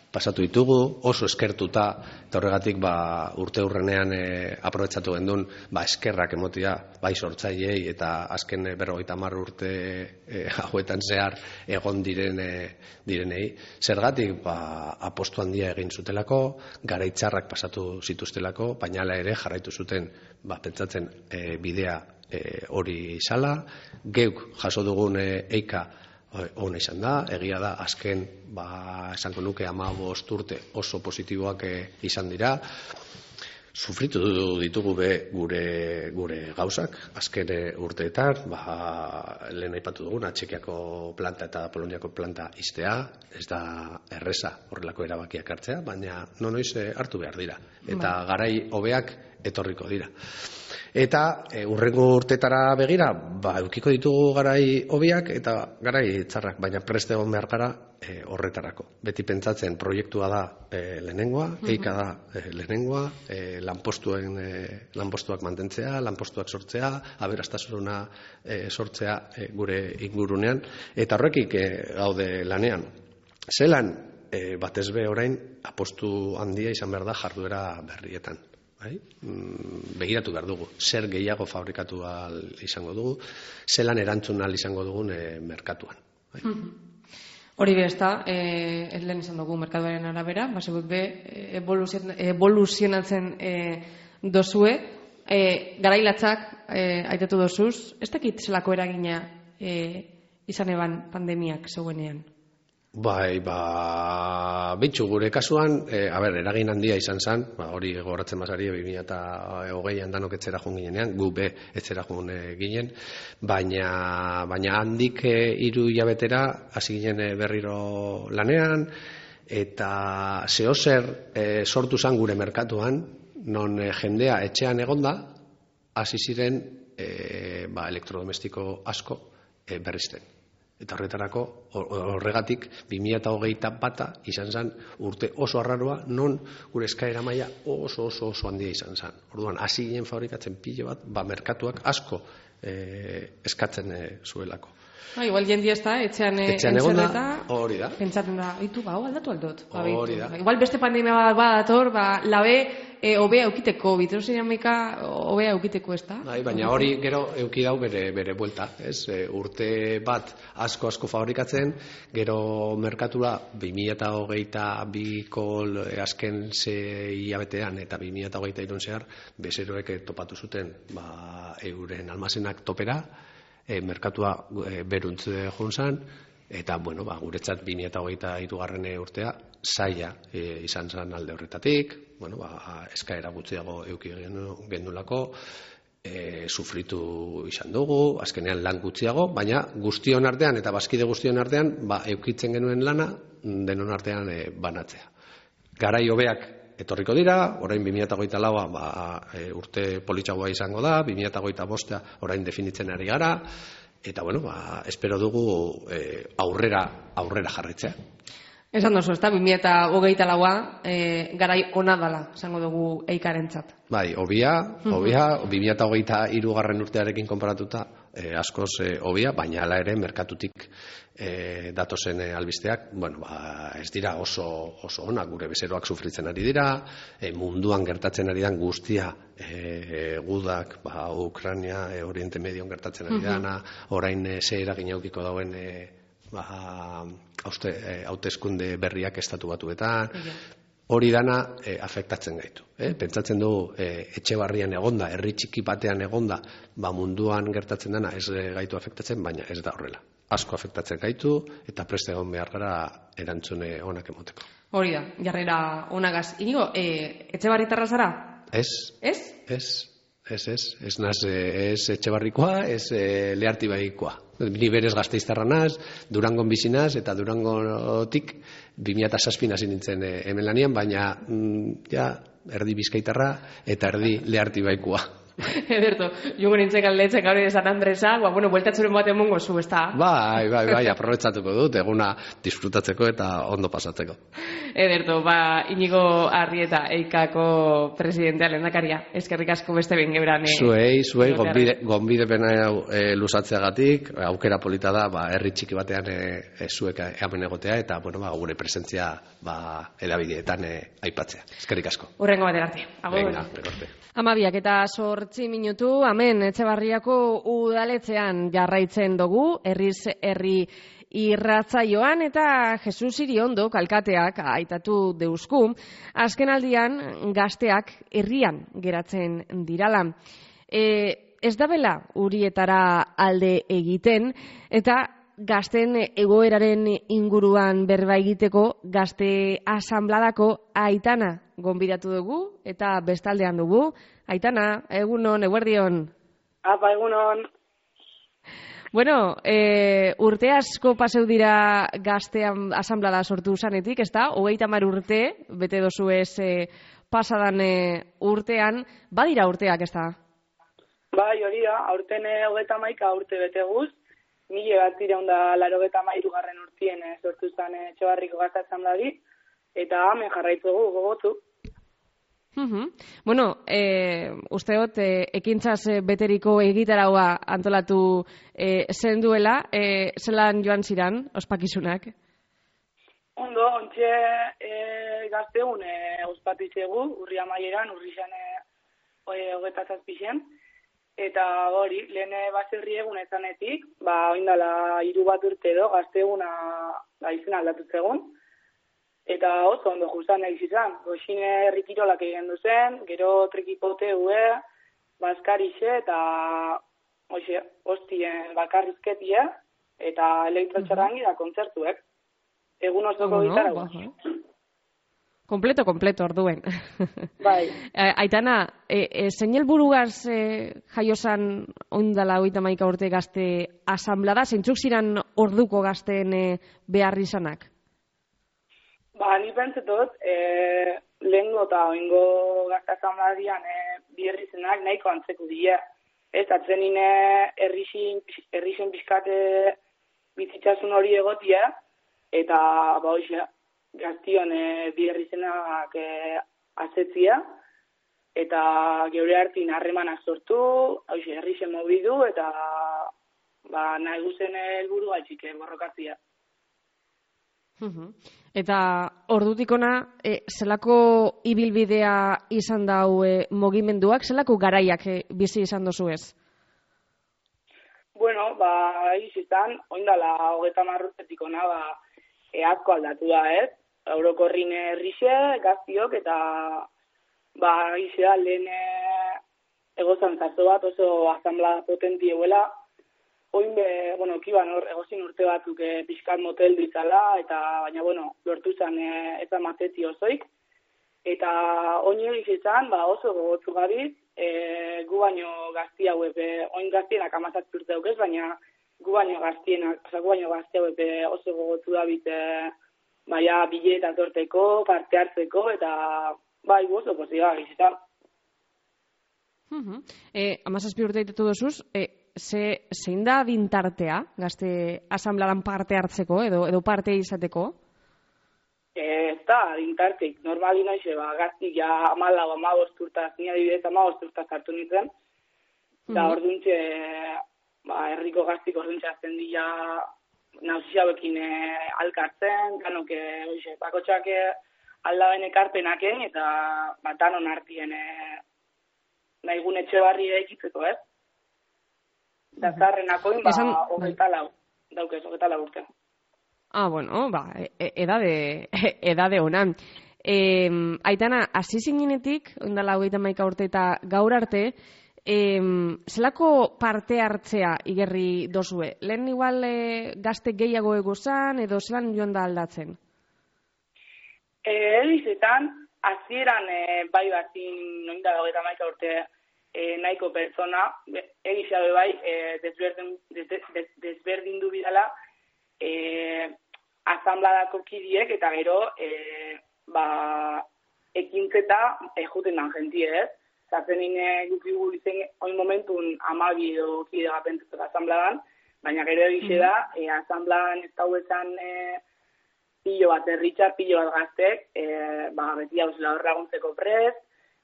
pasatu ditugu, oso eskertuta, eta horregatik ba, urte hurrenean e, aprobetsatu gendun, ba, eskerrak emotia, bai sortzaileei eta azken e, berrogeita hamar urte e, hauetan zehar egon diren, e, direnei. Zergatik, ba, apostu handia egin zutelako, garaitzarrak pasatu zituztelako, baina ere jarraitu zuten, ba, pentsatzen e, bidea hori izala, geuk jaso dugun eika ona izan da, egia da, azken, ba, esango nuke hamabost urte oso positiboak izan dira, sufritu ditugu be gure, gure gauzak, azken urteetan, ba, lehen aipatu duguna, Txekiako planta eta Poloniako planta iztea, ez da erreza horrelako erabakiak hartzea, baina nonoiz hartu behar dira, eta garai hobeak etorriko dira. Eta e, urrengo urtetara begira, ba, eukiko ditugu garai hobiak eta garai txarrak, baina preste egon behar gara e, horretarako. Beti pentsatzen proiektua da e, lehenengoa, eika da e, lehenengoa, e, lanpostuen, e, lanpostuak mantentzea, lanpostuak sortzea, aberastasuna e, sortzea e, gure ingurunean, eta horrekik e, gaude lanean. Zelan, e, batez be orain, apostu handia izan behar da jarduera berrietan. Bai? Begiratu behar dugu, zer gehiago fabrikatu ahal izango dugu, zelan erantzun ahal izango dugun e, merkatuan. Bai? Hori be ez da, e, ez lehen izan dugu merkatuaren arabera, baseguk be, evoluzion, evoluzionatzen e, dozue, e, garailatzak e, aitatu dozuz, ez dakit zelako eragina e, izan eban pandemiak zeuenean? Bai, ba, bitxu gure kasuan, e, a ber, eragin handia izan zen, ba, hori gogoratzen bazari, bi mila hogeian danok etzera joan ginenean, gu be etzera joan e, ginen, baina, baina handik e, hiru hilabetera hasi ginen e, berriro lanean, eta zehozer e, sortu zen gure merkatuan, non e, jendea etxean egonda, hasi ziren e, ba, elektrodomestiko asko e, berrizten. Eta horretarako, horregatik, bi mila hogeita bata izan zen urte oso arraroa, non gure eskaera maila oso oso oso handia izan zen. Orduan, hasi ginen fabrikatzen pilo bat, ba, merkatuak asko e, eskatzen e, zuelako. Ha, igual jendia ez da, etxean, etxean entzerreta, hori da. Pentsatzen da, hitu, ba, aldatu aldot. Ba, hori da. Igual beste pandemia bat badator, ba, labe, e, obea eukiteko, bitrosinamika obea eukiteko ez da. Bai, baina hori gero euki dau bere, bere buelta, ez? E, urte bat asko asko fabrikatzen, gero merkatura bi mila hogeita biko azken sei hilabetean eta bi mila hogeita hirun zehar bezeroek topatu zuten ba, euren almazenak topera, e, merkatua e, beruntze joan zen, eta bueno, ba, guretzat bi mila hogeita hirugarren urtea zaila e, izan zen alde horretatik, bueno, ba, eskaera gutxiago euki gendulako, e, sufritu izan dugu, azkenean lan gutxiago, baina guztion artean eta bazkide guztion artean ba, eukitzen genuen lana denon artean e, banatzea. Garai hobeak etorriko dira, orain bi mila hogeita laua ba, e, urte politxagoa izango da, bi mila hogeita bosta orain definitzen ari gara, eta bueno, ba, espero dugu e, aurrera, aurrera jarritzea. Esan dozu, ez da, bi mila hogeita laua e, garai ona dala, esango dugu eikarentzat. Bai, obia, obia, bi mila hogeita hirugarren urtearekin konparatuta e, askoz e, obia, baina hala ere merkatutik e, datozen e, albisteak, bueno, ba, ez dira oso, oso ona, gure bezeroak sufritzen ari dira, e, munduan gertatzen ari dan guztia e, gudak, ba, Ukraina, e, Oriente Medion gertatzen ari dana, orain e, ze eragin aukiko dauen e, ba, hauteskunde berriak estatu batuetan, hori dana e, afektatzen gaitu. Eh? Pentsatzen dugu e, etxe barrian egonda, herri txiki batean egonda, ba, munduan gertatzen dana ez gaitu afektatzen, baina ez da horrela. Asko afektatzen gaitu eta preste egon behar gara erantzune onak emoteko. Hori da, jarrera onagaz. Inigo, e, etxe barritarra zara? Ez. Ez? Ez, ez, ez. Ez naz, ez etxe barrikoa, ez e, lehartibaikoa. Ni berez Gasteiztarra naz, Durangon bizi naz, eta Durangotik bi mila zazpin hasi nintzen e, hemen lanian, baina mm, ja, erdi bizkaitarra eta erdi lehartibaikoa. Ederto, jungo nintzen galdetzen gaur ere San Andresa, ba, bueno, bueltatzuren bat emongo zu, ez da? Bai, bai, bai, aprobetxatuko dut, eguna disfrutatzeko eta ondo pasatzeko. Ederto, ba, Inigo Arrieta, Eikako presidentea lehendakaria, eskerrik asko beste behin gebran. E, zuei, zuei, gonbidepena e, luzatzeagatik, aukera polita da, ba, herri txiki batean e, e, zuek hemen egotea, eta, bueno, ba, gure presentzia, ba, edabideetan e, aipatzea. Eskerrik asko. Urrengo batera arte. Venga, rekorte. Amabiak eta sortzi minutu, hemen Etxebarriako udaletzean jarraitzen dugu, herriz herri irratzaioan eta Jesus Iriondo alkateak aitatu deusku, azken aldian gazteak herrian geratzen dirala. E, ez da bela urietara alde egiten, eta gazten egoeraren inguruan berba egiteko gazte asanbladako Aitana gonbidatu dugu, eta bestaldean dugu. Aitana, egunon, eguerdion. Apa, egunon. Bueno, e, urte asko paseu dira gazte asanblada sortu zanetik, ez da? Hogeita hamar urte, bete dozu ez e, pasadan e, urtean, badira urteak, ez da? Bai, hori da, aurten hogeita hamaika urte bete guz, mila bat iraun da laurogeita hamairu garren urtien e, sortu zen e, Etxebarriko gazte asanbladi, eta hemen jarraitzugu gogotu. Uhum. Bueno, eh, usteot, eh, ekintzaz eh, beteriko egitaraua antolatu eh, zen duela, eh, zelan joan ziran, ospakizunak? Ondo, ontxe eh, gazteun eh, ospatitzegu, urri amaieran, urri xan eh, hogeta zazpixen, eta hori, lehen baserri egun ezanetik, ba, oindala hiru bat urte edo, gazteuna ba, izan aldatu zegoen, eta oso ondo justan egiz izan. Goxine herrikirolak egin duzen, gero trekipote hue, baskarixe eta oxe, ostien bakarrizketia eta elektrotxarrangi da kontzertuek. Egun osoko gitara no, no, Kompleto, kompleto, orduen. Bai. Aitana, e, e, zein helburugaz e, jaiosan oindala hogeita hamaika urte gazte asanblada, zeintzuk ziran orduko gazteen e, behar izanak? Ba, ni pentsetot, e, lehengo eta oingo gazte asanbladian e, bi herrizenak nahiko antzeko dira. Ez, atzenine herrixin, herrixen pixkate bizitzasun hori egotia, eta ba, hoxe, gaztion e, bi herrizenak e, azetzia, eta geure hartin harremanak sortu, hoxe, herrixen mobidu, eta ba, nahi guzen helburu gaitxik borrokatzia. Uhum. Eta ordutik ona, e, zelako ibilbidea izan dau e, mugimenduak, zelako garaiak e, bizi izan dozu ez? Bueno, ba, izan, oindala hogeita hamar urtetik ona, ba, e, asko aldatu da, ez? Eurokorrin herrixe, gaztiok, eta ba, izan lehen egozan zazo bat oso asanblada potenti eguela, oin be, bueno, kiban hor, egozin urte batzuk e, pixkat motel ditzala, eta baina, bueno, lortu zen e, ez amatetzi osoik. Eta oin egiz izan, ba, oso gogotzu gabiz, e, gu baino gazti hauek, oin gaztienak amazat urte daukez, baina gu baino gaztienak, oza, gu baino gazti hauek oso gogotzu gabiz, e, baina bileta torteko, parte hartzeko, eta bai, oso posiba egiz izan. Uh-huh. E, amazazpi urte ditetu dozuz, e, Ze, zein da dintartea, gazte asanbladan parte hartzeko, edo edo parte izateko? Ez da, dintarteik. Normali noize, ba, gaztik ja amalau, amabost urtaz, nire adibidez amabost urtaz hartu nintzen. Eta mm-hmm. orduntxe, ba, herriko gaztik orduntxe azten dira nauzia hauekin e, alkartzen, ganoke, oixe, bakotxak aldaben ekarpenaken, eta bat danon hartien e, nahigun Etxebarri ekitzeko, ez? Da zarrenakoin, ba, hogeita lau, daukez, hogeita lau urte. Ah, bueno, ba, e, edade, edade honan. E, Aitana, hasi zinenetik, ondala hogeita hamaika urte eta gaur arte, e, zelako parte hartzea igerri dozue? Lehen igual e, gazte gehiago egozan, edo zelan joan da aldatzen? E, Elizetan, hasieran e, bai batzin, ondala hogeita hamaika urte, E, nahiko pertsona, egizabe bai, e, desberdin, des, des, desberdin du bidala e, asanbladako kidiek, eta gero e, ba, ekintzeta e, juten dan jentie, ez? Zaten nine gukigu izen oin momentun amabi edo kide gapentzatu asanbladan, baina gero egize da, e, asanbladan ez dau esan e, pilo bat erritxar, pilo bat gaztek, e, ba, beti hau zela horraguntzeko prez,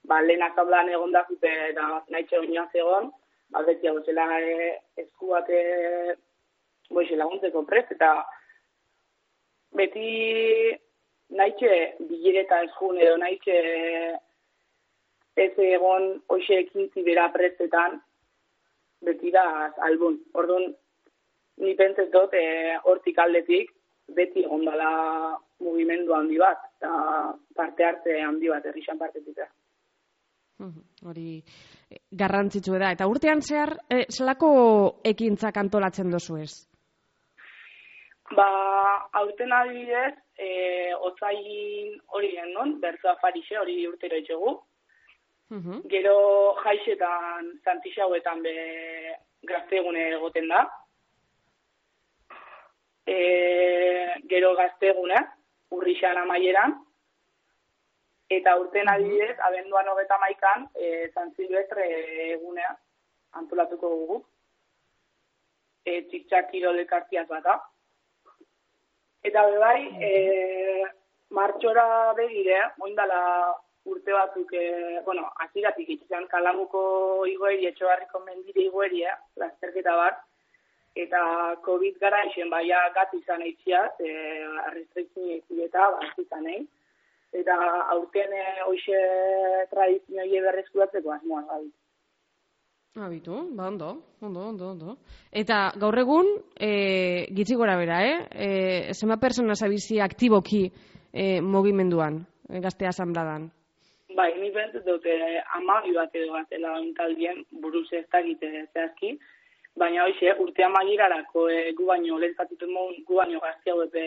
ba, lehen asanbladan egon da zute eta nahitxe oinoaz egon, ba, beti hau zela e, esku bat e, boixe laguntzeko prez, eta beti nahitxe bilereta eskun edo nahitxe ez egon hoxe ekintzi bera prezetan, beti da albun. Orduan, ni pentsez dut, e, hortik aldetik, beti egon dala mugimendu handi bat, eta parte hartze handi bat, herrixan partetik. Hori garrantzitsu da. Eta urtean zehar, e, zelako ekintzak antolatzen dozu ez? Ba, aurten adibidez, e, otzain hori non, berzoa farixe, hori urtero etxegu. Uh-huh. Gero jaixetan, Santixauetan be gaztegune egoten da. E, gero gaztegune, urrixan amaieran. Eta urten adibidez, abenduan hogeta maikan, e, San Silvestre egunea antolatuko dugu. E, txik-txak kirol elkartiaz bata. Eta bebai, e, martxora begire, oindala urte batzuk, e, bueno, aziratik itxean Kalamuko igoeri, Etxebarriko mendire igoeri, eh, lasterketa bat, eta COVID gara isen, baia gat izan eitziaz, e, restrikzio eta bat izan egin. Eta aurten hoxe tradizioa berreskuratzeko asmoa gabi. Abitu, ba ondo, ondo, ondo, ondo. Eta gaur egun, e, gitzi gora bera, eh? E, zema persona zabizi aktiboki e, mogimenduan, e, gazte asambladan? Bai, ni bentzut dute amabi bat edo gaztela ontaldien buruz ez dakite zehazki, baina hoxe urte amagirarako e, gu baino, lehentzatuten mogun gu baino gazte hau epe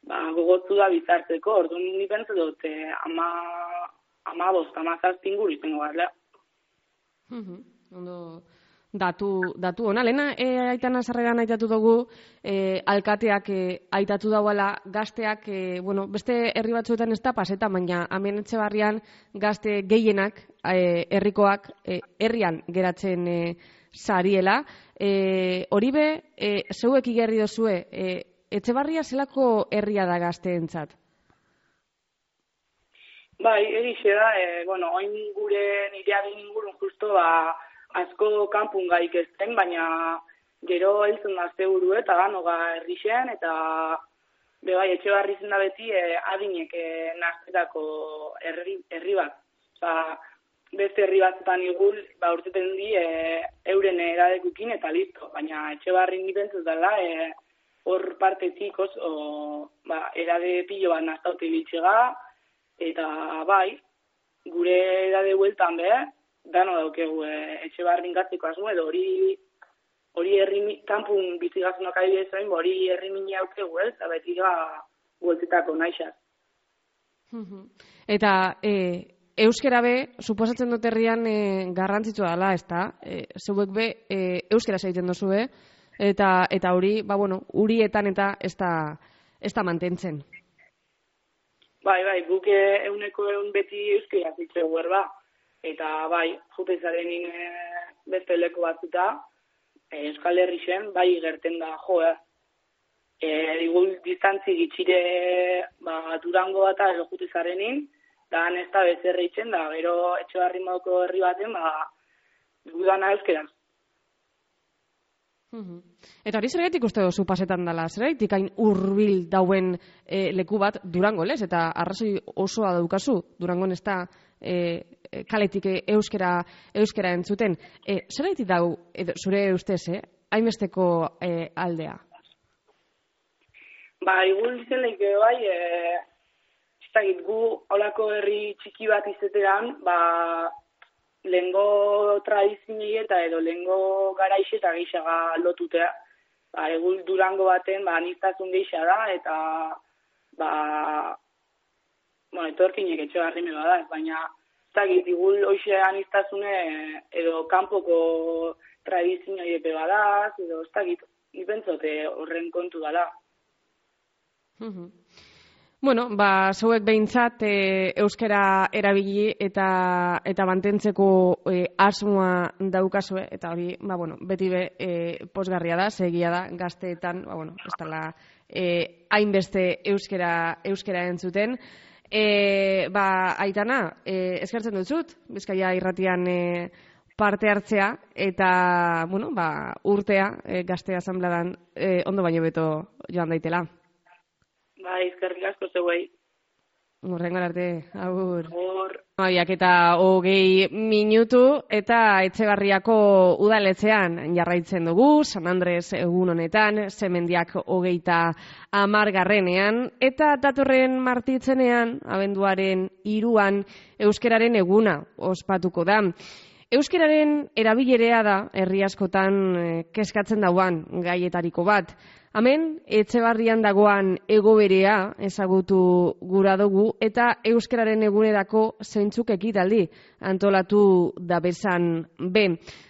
ba, gogotzu da bizartzeko, orduan ni pentsu dut eh, ama, ama bost, ama zazpin guri zengo garla. Uh-huh. Ondo, datu, datu ona. Lehena, e, aitana sarreran aitatu dugu, e, alkateak e, aitatu dauala gazteak, e, bueno, beste herri batzuetan ez da paseta, baina hemen Etxebarrian gazte gehienak, e, herrikoak, e, herrian geratzen e, sariela. E, hori be, e, zeuek igerri dozue, e, Etxebarria zelako herria da gazteentzat? Bai, egixe da, e, bueno, oin gure nire agin ingurun justo ba, asko kanpun gaik ezten, baina gero heltzen gazte buru eta ganoga herrixen, eta be bai, Etxebarri zen da beti e, adinek e, naztetako herri, herri bat. Osa, beste herri batzutan igul, ba, urteten di e, euren eradekukin eta listo, baina Etxebarri nipentzuz dela, e, hor partetik oso, ba, erade pilo bat naztaute biltxega, eta bai, gure erade hueltan be, dano daukegu e, Etxebarrin gatzeko asmo, edo hori hori herri kanpun bizigazunok adibidez zain, hori herri mini aukegu, ez, eta beti ga hueltetako naixaz. Eta e, euskera be, suposatzen dut herrian e, garrantzitsua dela, ez da? E, zeuek be, e, euskera zaiten dozu, eh? Eta eta hori, ba bueno, urietan eta ez da ez da mantentzen. Bai, bai, guk euneko eun beti euskera zitzeu berba. Eta bai, jute zarenin e, beste leku batzuta, e, Euskal Herrixen, bai gerten da jo, eh. E, digul distantzi gitxire ba, Durango bata edo jute zarenin, da ez da bezerre itxen, da gero Etxebarri modoko herri baten, ba, gudana euskeraz. Uhum. Eta hori zergatik uste dozu pasetan dela, zergatik hain hurbil dauen e, leku bat Durango, lez? Eta arrazoi osoa daukazu, Durangon ez da e, kaletik euskera, euskera entzuten. E, zergatik dau, edo, zure ustez, eh? hainbesteko e, aldea? Ba, igul dizen lehike bai, e, txitagit gu holako herri txiki bat izetean, ba, lehengo tradizini eta edo lehengo garaixe eta geixaga lotutea. Ba, egul Durango baten, ba, aniztasun geixa da, eta, ba, bueno, etorkinek Etxebarri meba da, baina, ez dakit, igul hoxe aniztasune edo kanpoko tradizini epe badaz, edo ez dakit, nipentzote horren kontu dala. Mhm. Bueno, ba, zeuek behintzat e, euskera erabili eta eta mantentzeko e, asmoa daukazue, eta hori, ba, bueno, beti be e, posgarria da, segia da, gazteetan, ba, bueno, ez dela e, hainbeste euskera, euskera entzuten. E, ba, Aitana, e, eskertzen dut, Bizkaia irratian e, parte hartzea, eta, bueno, ba, urtea e, gazte asambladan e, ondo baino beto joan daitela. Bai, eskerrik asko zeuei. Horrengo arte, agur. Hor. Abiak eta hogei minutu eta Etxebarriako udaletxean jarraitzen dugu, San Andres egun honetan, Semendiak hogeita hamargarrenean, eta datorren martitzenean, abenduaren hiruan, euskeraren eguna ospatuko da. Euskeraren erabilerea da, herri askotan eh, keskatzen dauan gaietariko bat. Hemen, Etxebarrian dagoan egoberea ezagutu gura dugu eta euskararen egunerako zeintzuk ekitaldi antolatu da bezan be.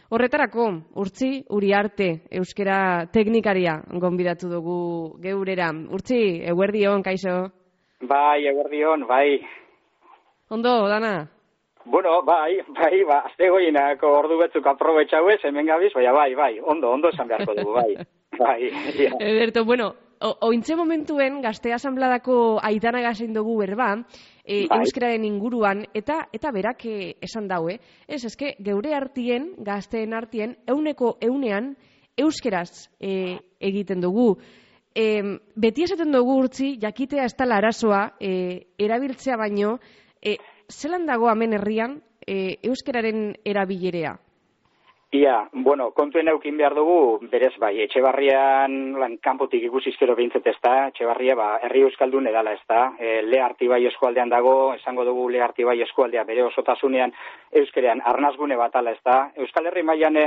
Horretarako, Urtzi Uriarte, euskara teknikaria gonbidatu dugu geurera. Urtzi, eguerdion, kaixo? Bai, eguerdion, bai. Ondo, dana? Bueno, bai, bai, ba, azte goienako ordu betzuk aprobetxauez, hemen gabiz, baina bai, bai, ondo, ondo esan beharko dugu, bai. Bai, ja. Eberto, bueno, ointxe momentuen gazte asambladako aitana gazein dugu berba, e, bai. Euskararen inguruan, eta eta berak e, esan daue, ez, eske, geure artien, gazteen artien, euneko eunean, euskeraz e, egiten dugu. E, beti esaten dugu Urtzi, jakitea ez tala arazoa, e, erabiltzea baino, e, zelan dago hemen herrian e, euskararen erabilerea? Ia, bueno, kontuen eukin behar dugu, berez bai, Etxebarrian lan kanpotik ikusizkero behintzet ez da, Etxebarria ba, herri euskaldun edala ez da, e, Le Artibai eskualdean dago, esango dugu Le Artibai eskualdea bere osotasunean euskerean arnazgune bat ala ez da, Euskal Herri mailan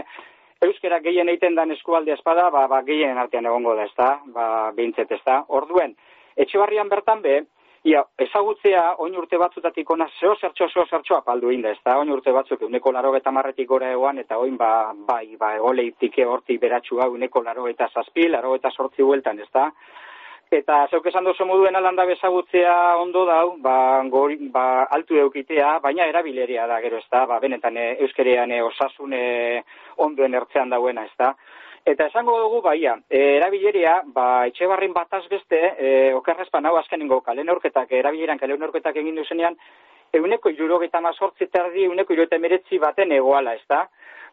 euskera gehien egiten dan eskualdea espada, ba, ba, gehien artean egongo da ez da, ba, behintzet ez da, orduen, Etxebarrian bertan be, ia, ezagutzea oin urte batzutatik ona zeo zertxo, zeo zertxo apaldu inda, ez da, oin urte batzuk uneko laro eta marretik gora egoan, eta oin ba, bai, ba, egoleitik hortik beratxua uneko laro eta zazpi, laro eta sortzi hueltan, ez da. Eta zeuk esan dozu moduen alanda bezagutzea ondo dau, ba, gori, ba, altu eukitea, baina erabileria da gero, ez da, ba, benetan e, euskerean e, osasun e, ondoen ertzean dauena, ez da. Eta esango dugu, baia, e, erabileria, ba, Etxebarrin bataz beste, e, okerrezpan hau azkenengo kale neurketak, erabileran kale neurketak egin duzenean, euneko irurogeita mazortzi terdi, euneko irurogeita emeretzi baten egoala, ez da?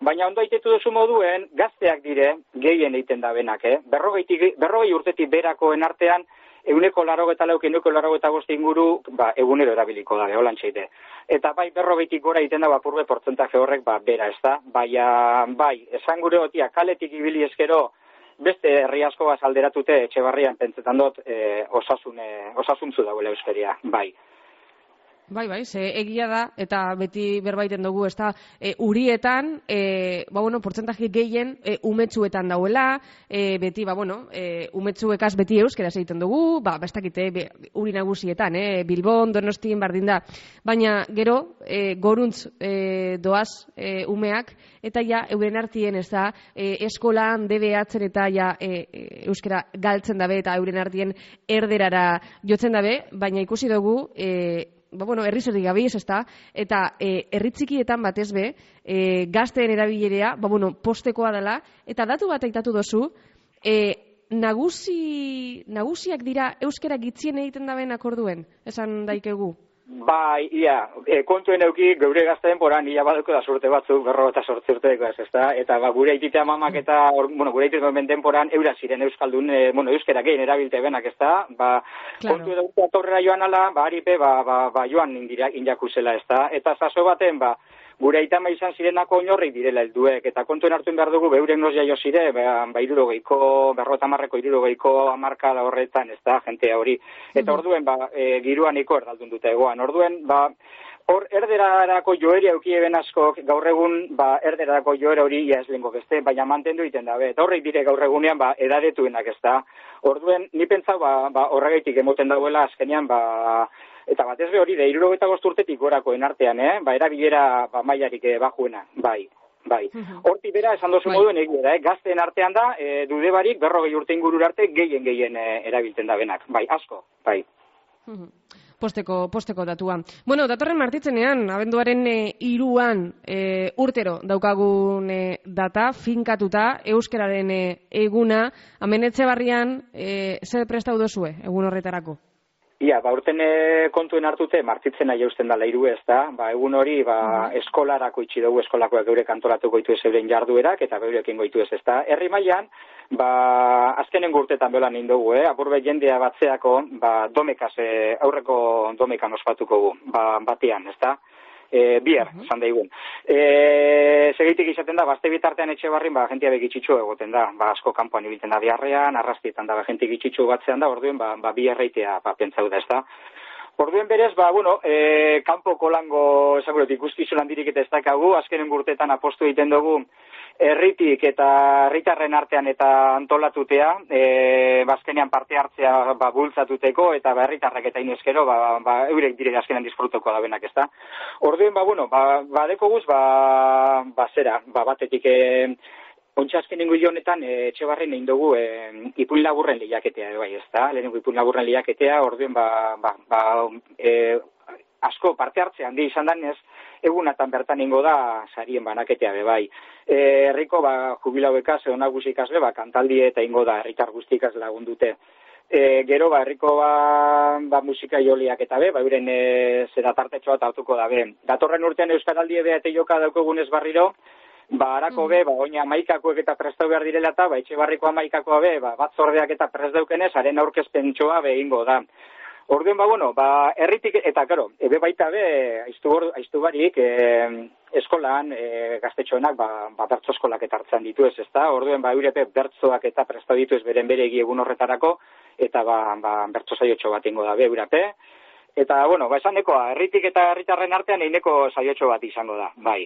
Baina ondo aitetu duzu moduen, gazteak dire, gehien egiten da benak, eh? Berrogei, berrogei urtetik berakoen artean, euneko larogeta lauk, euneko larogeta boste inguru, ba, egunero erabiliko da, holan txeite. Eta bai, berrogeitik gora egiten da, bapurbe portzentaje horrek, ba, bera, ez da? Baina, bai, esan gure gotia, kaletik ibili eskero, beste herri asko baz alderatute, Etxebarrian pentsetan dut, e, osasun, e, osasuntzu dagoela euskeria, bai. Bai, bai, ze egia da, eta beti berbaiten dugu, ez da, e, urietan, e, ba, bueno, portzentaje gehien e, umetsuetan dauela, e, beti, ba, bueno, e, umetsuekaz beti euskeraz egiten dugu, ba, bestakite, be, uri nagusietan, e, Bilbon, Donostin, bardin da, baina gero, e, goruntz e, doaz e, umeak, eta ja, euren artien, ez da, e, eskolan, D B H-en eta ja, e, e, euskera galtzen dabe, eta euren artien erderara jotzen dabe, baina ikusi dugu, e, ba, bueno, herri zerri gabiz, ez da, eta e, herri txikietan batez be, e, gazteen erabilerea, ba, bueno, postekoa dela, eta datu bat aitatu dozu, e, nagusi, nagusiak dira euskera gitzien egiten daben akorduen, esan daikegu? Bai, ia, e, kontuen euki geure gazteen poran, ia badeko da surte batzuk, berro eta sortzi urteko ez, ez da, eta ba, gure aititea mamak eta, or, bueno, gure aititea menden poran, eura ziren euskaldun, e, bueno, euskera gehien erabilte benak, ez da, ba, claro. Kontu edo urte atorrera joan ala, ba, aripe, ba, ba, ba joan indira, injakuzela, ez da, eta zazo baten, ba, gure aitama izan zirenako oinorrik direla helduek, eta kontuen hartu behar dugu, beurek nos jaio zire, ba, ba irurogeiko, berrota marreko irurogeiko amarka da horretan, ez da, jentea hori. Eta orduen, ba, e, giruan iko erdaldun dute egoan. Orduen, ba, hor erderarako joeria eukieben asko, gaur egun, ba, erderarako joera hori ia ez lehenko beste, baina mantendu iten dabe. Eta horrek dire gaur egunean, ba, edadetuenak ez da. Orduen, ni pentsau, ba, ba, horregaitik emoten dagoela azkenean, ba, eta batez be hori, de hirurogeita bost urtetik gorakoen artean, eh? Ba, erabilera ba, mailarik eh, bajuena, bai, bai. Hortik bera, esan dozu bai. Moduen egia da, eh? Gazteen artean da, e, dude barik, berrogei urte ingurur arte, gehien gehien e, erabiltzen da benak, bai, asko, bai. Posteko, posteko datua. Bueno, datorren martitzenean, abenduaren e, iruan e, urtero daukagun e, data, finkatuta, euskararen e, eguna, hemen Etxebarrian, e, zer prestau dozue, egun horretarako? Ia, ba, urten kontuen hartute, martzitzen nahi eusten dala hiru ez da, ba, egun hori, ba, eskolarako itxi dugu, eskolakoak geure kantolatuko itu ez euren jarduerak, eta beurekin goitu ez ez da. Herri mailan, ba, azkenen gurtetan beholan egin dugu, eh? Apurbe jendea batzeako, ba, domekaz, eh, aurreko domekan ospatuko gu, ba, batean, ez da? E, bier, uh-huh. Zan daigun. E, Segitik izaten da, bazte bitartean etxe barrin, ba, jentia begitxitxu egoten da, ba, asko kanpoan ibilten da diarrean, arrastietan da, ba, jentik itxitxu batzean da, orduen, ba, ba biarreitea, ba, pentsau da, ez da. Orduen berez, ba, bueno, e, kanpoko lango, esakurot, ikuskizu landirik eta ez dakagu, azkenen gurtetan apostu egiten dugu, herritik eta herritarren artean eta antolatutea, e, bazkenean parte hartzea ba, bultzatuteko, eta ba, herritarrak eta inezkero, ba, ba, eurek dire azkenean disfrutoko da benak, ez da. Orduen, ba, bueno, ba, ba deko guz, ba, ba, zera, ba, batetik, e, ontsa azkenengo honetan, e, etxe barren egin dugu, e, ipuin laburren lehiaketea, bai, ez da, lehenengo ipuin laburren lehiaketea, orduen, ba, ba, ba, e, asko parte hartze handi izan danez, egunatan bertan ingo da sarien banaketea be bai. E, herriko ba jubilauekaz edo nagusi ikasle ba kantaldi eta ingo da herritar guztikaz lagundute. E, gero ba herriko ba, ba musika joliak eta be, ba euren e, zera tartetxo bat hartuko da be. Datorren urtean euskaraldi ebe eta joka daukogunez barriro, ba harako be, ba oina hamaikakoek eta prestau behar direla eta ba Etxebarriko hamaikakoa be, ba batzordeak eta prest daukenez haren aurkezpentxoa be ingo da. Orduen, ba, bueno, ba, herritik, eta, karo, ebe baita be, aiztu barik, e, eskolan, e, gaztetxoenak, ba, ba, bertzo eskolak eta hartzen ditu ez, ez da? Orduen, ba, eurepe bertzoak eta presta ditu ez beren bere egun horretarako, eta, ba, ba bertzo saiotxo bat ingo da be, eurepe. Eta, bueno, ba, esan nekoa, herritik eta herritarren artean eineko saiotxo bat izango da, bai.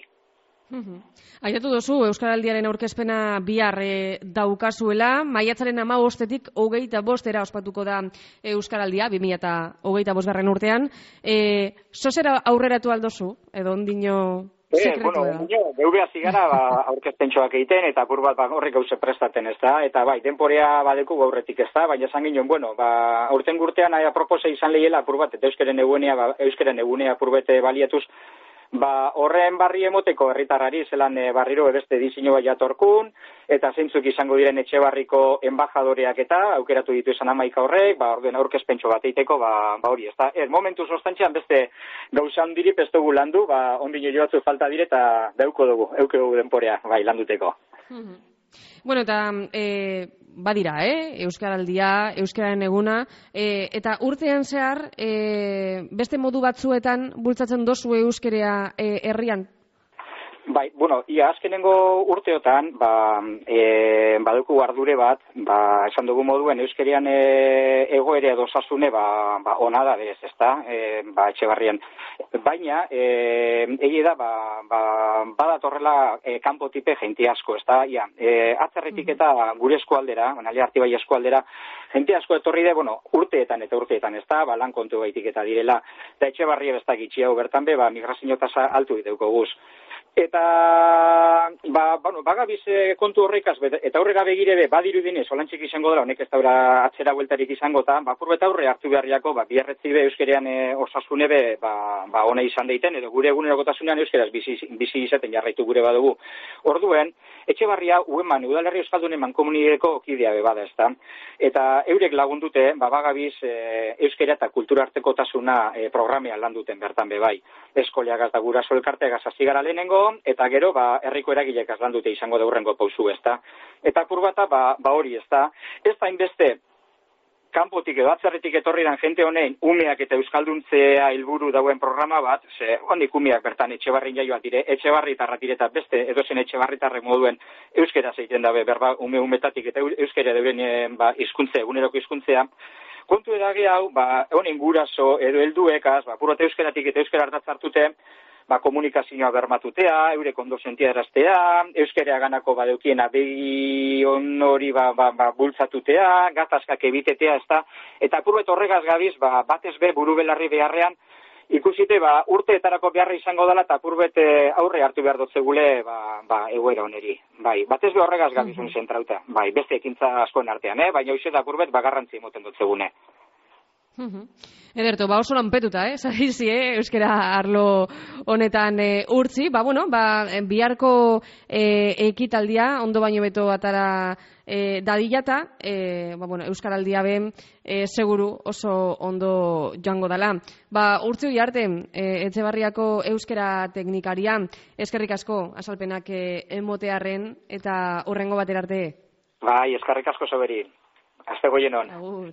Uhum. Aipatu duzu Euskaraldiaren aurkezpena bihar e, daukazuela, maiatzaren hamabostetik hogeita bostera ospatuko da Euskaraldia, bi mila hogeita bosgarren urtean. E, Zozera aurreratu aldozu, edo ondino sekretu da? Bueno, geure hasi gara ba, aurkezpentxoak egiten, eta apur bat ba, horrek gauze prestaten ez da, eta bai, denporea badeku gaurretik ez da, baina esan ginen, bueno, ba, aurten gurtean aia propose izan lehiela apur bat, eta euskeren egunea, ba, euskeren egunea apur bete baliatuz, ba, horren barri emoteko herritarrari zelan e, barriro ebeste diseinu bat jatorkun, eta zeintzuk izango diren Etxebarriko enbajadoreak eta aukeratu ditu izan hamaika horrek, ba, orduen aurkezpentxo bat eiteko, ba, ba hori, ez da. Er, momentu sostantxean beste gauza handirip ez dugu landu, ba, ondino joatzu falta dire eta dauko dugu, euke dugu denporea, bai, landuteko. Mm-hmm. Bueno, eta e, badira, eh? Euskaraldia, Euskararen eguna, e, eta urtean zehar, e, beste modu batzuetan bultzatzen dozu euskerea e, herrian? Bai, bueno, ia azkenengo urteotan, ba, e, baduku ardure bat, ba, esan dugu moduen euskerian e, egoere edo osasune, ba, ba, ona da berez, ez da, e, ba, Etxebarrian. Baina, e, egi da, ba, ba, badatorrela e, kanpo tipe jenti asko, ez da, ia, e, atzerritik eta gure eskualdera, nale Artibai eskualdera, jenti asko etorri de, bueno, urteetan eta urteetan, ez da, ba, lan kontu baitik eta direla, eta Etxebarria bestak itxi hau bertan be, ba, migrazio tasa altu diteuko guz. Eta, ba, bueno, bagabiz kontu horrekaz, eta horrega begire be, badiru dinez, olantxik izango dela, honek ez daura atzera bueltarik izango, eta, ba, purbeta aurre hartu beharriako, ba, biarretzi be, euskerean e, osasune be, ba, ba, ona izan deiten, edo gure egunerokotasunean euskeraz bizi, bizi izaten jarraitu gure badugu. Orduen, Etxebarria, ueman, udalerri euskaldunen mankomunideko kidea be bada, ez da. Eta eurek lagundute, ba, bagabiz e, euskera eta kultura artekotasuna e, programean landuten bertan be bai. Eskoliagaz da guraso elkarteagaz hasi gara lehenengo, eta gero, ba, herriko eragilek azlan dute izango da hurrengo pausu, ez da. Eta kurbata, ba, ba hori, ez da. Ez da inbeste, kanpotik edo atzerritik etorriran jente honein, umeak eta euskalduntzea helburu dauen programa bat, ze, hondik umeak bertan Etxebarrin jaioat dire, Etxebarritarra dire eta beste, edozen Etxebarritarrek moduen euskera zeiten dabe, berba, ume umetatik eta euskera deuren ba, izkuntze, eguneroko izkuntzea. Kontu edage hau, ba, honen guraso edo helduekaz, ba, purote euskeratik eta euskera hartatzartute, ba, komunikazioa bermatutea, eurek ondo sentia eraztea, euskerea ganako badeukiena begi hori ba, ba, ba, bultzatutea, gatazkak ebitetea, ez da, eta apurbet horregaz gabiz, ba, batez be, buru belarri beharrean, ikusite, ba, urteetarako beharra izango dela, eta apurbet aurre hartu behar dotzegule, ba, ba, egoera oneri. Bai, batez be horregaz gabizun zentrauta, bai, beste ekintza askoen artean, eh? Baina hoxe da apurbet, ba, garrantzi emoten dotzegune. Ederto, ba oso lanpetuta, eh? Zaizi, eh? Euskara arlo honetan e, urtzi. Ba, bueno, ba, biharko e, ekitaldia, ondo baino beto atara e, dadilata, e, ba, bueno, Euskaraldia ben, e, seguru oso ondo joango dala. Ba, urtzi hori arte, e, Etxebarriako euskara teknikaria, eskerrik asko, azalpenak e, emotearren, eta hurrengo batera arte. Bai, eskerrik asko soberi. Azte goienon. Agur.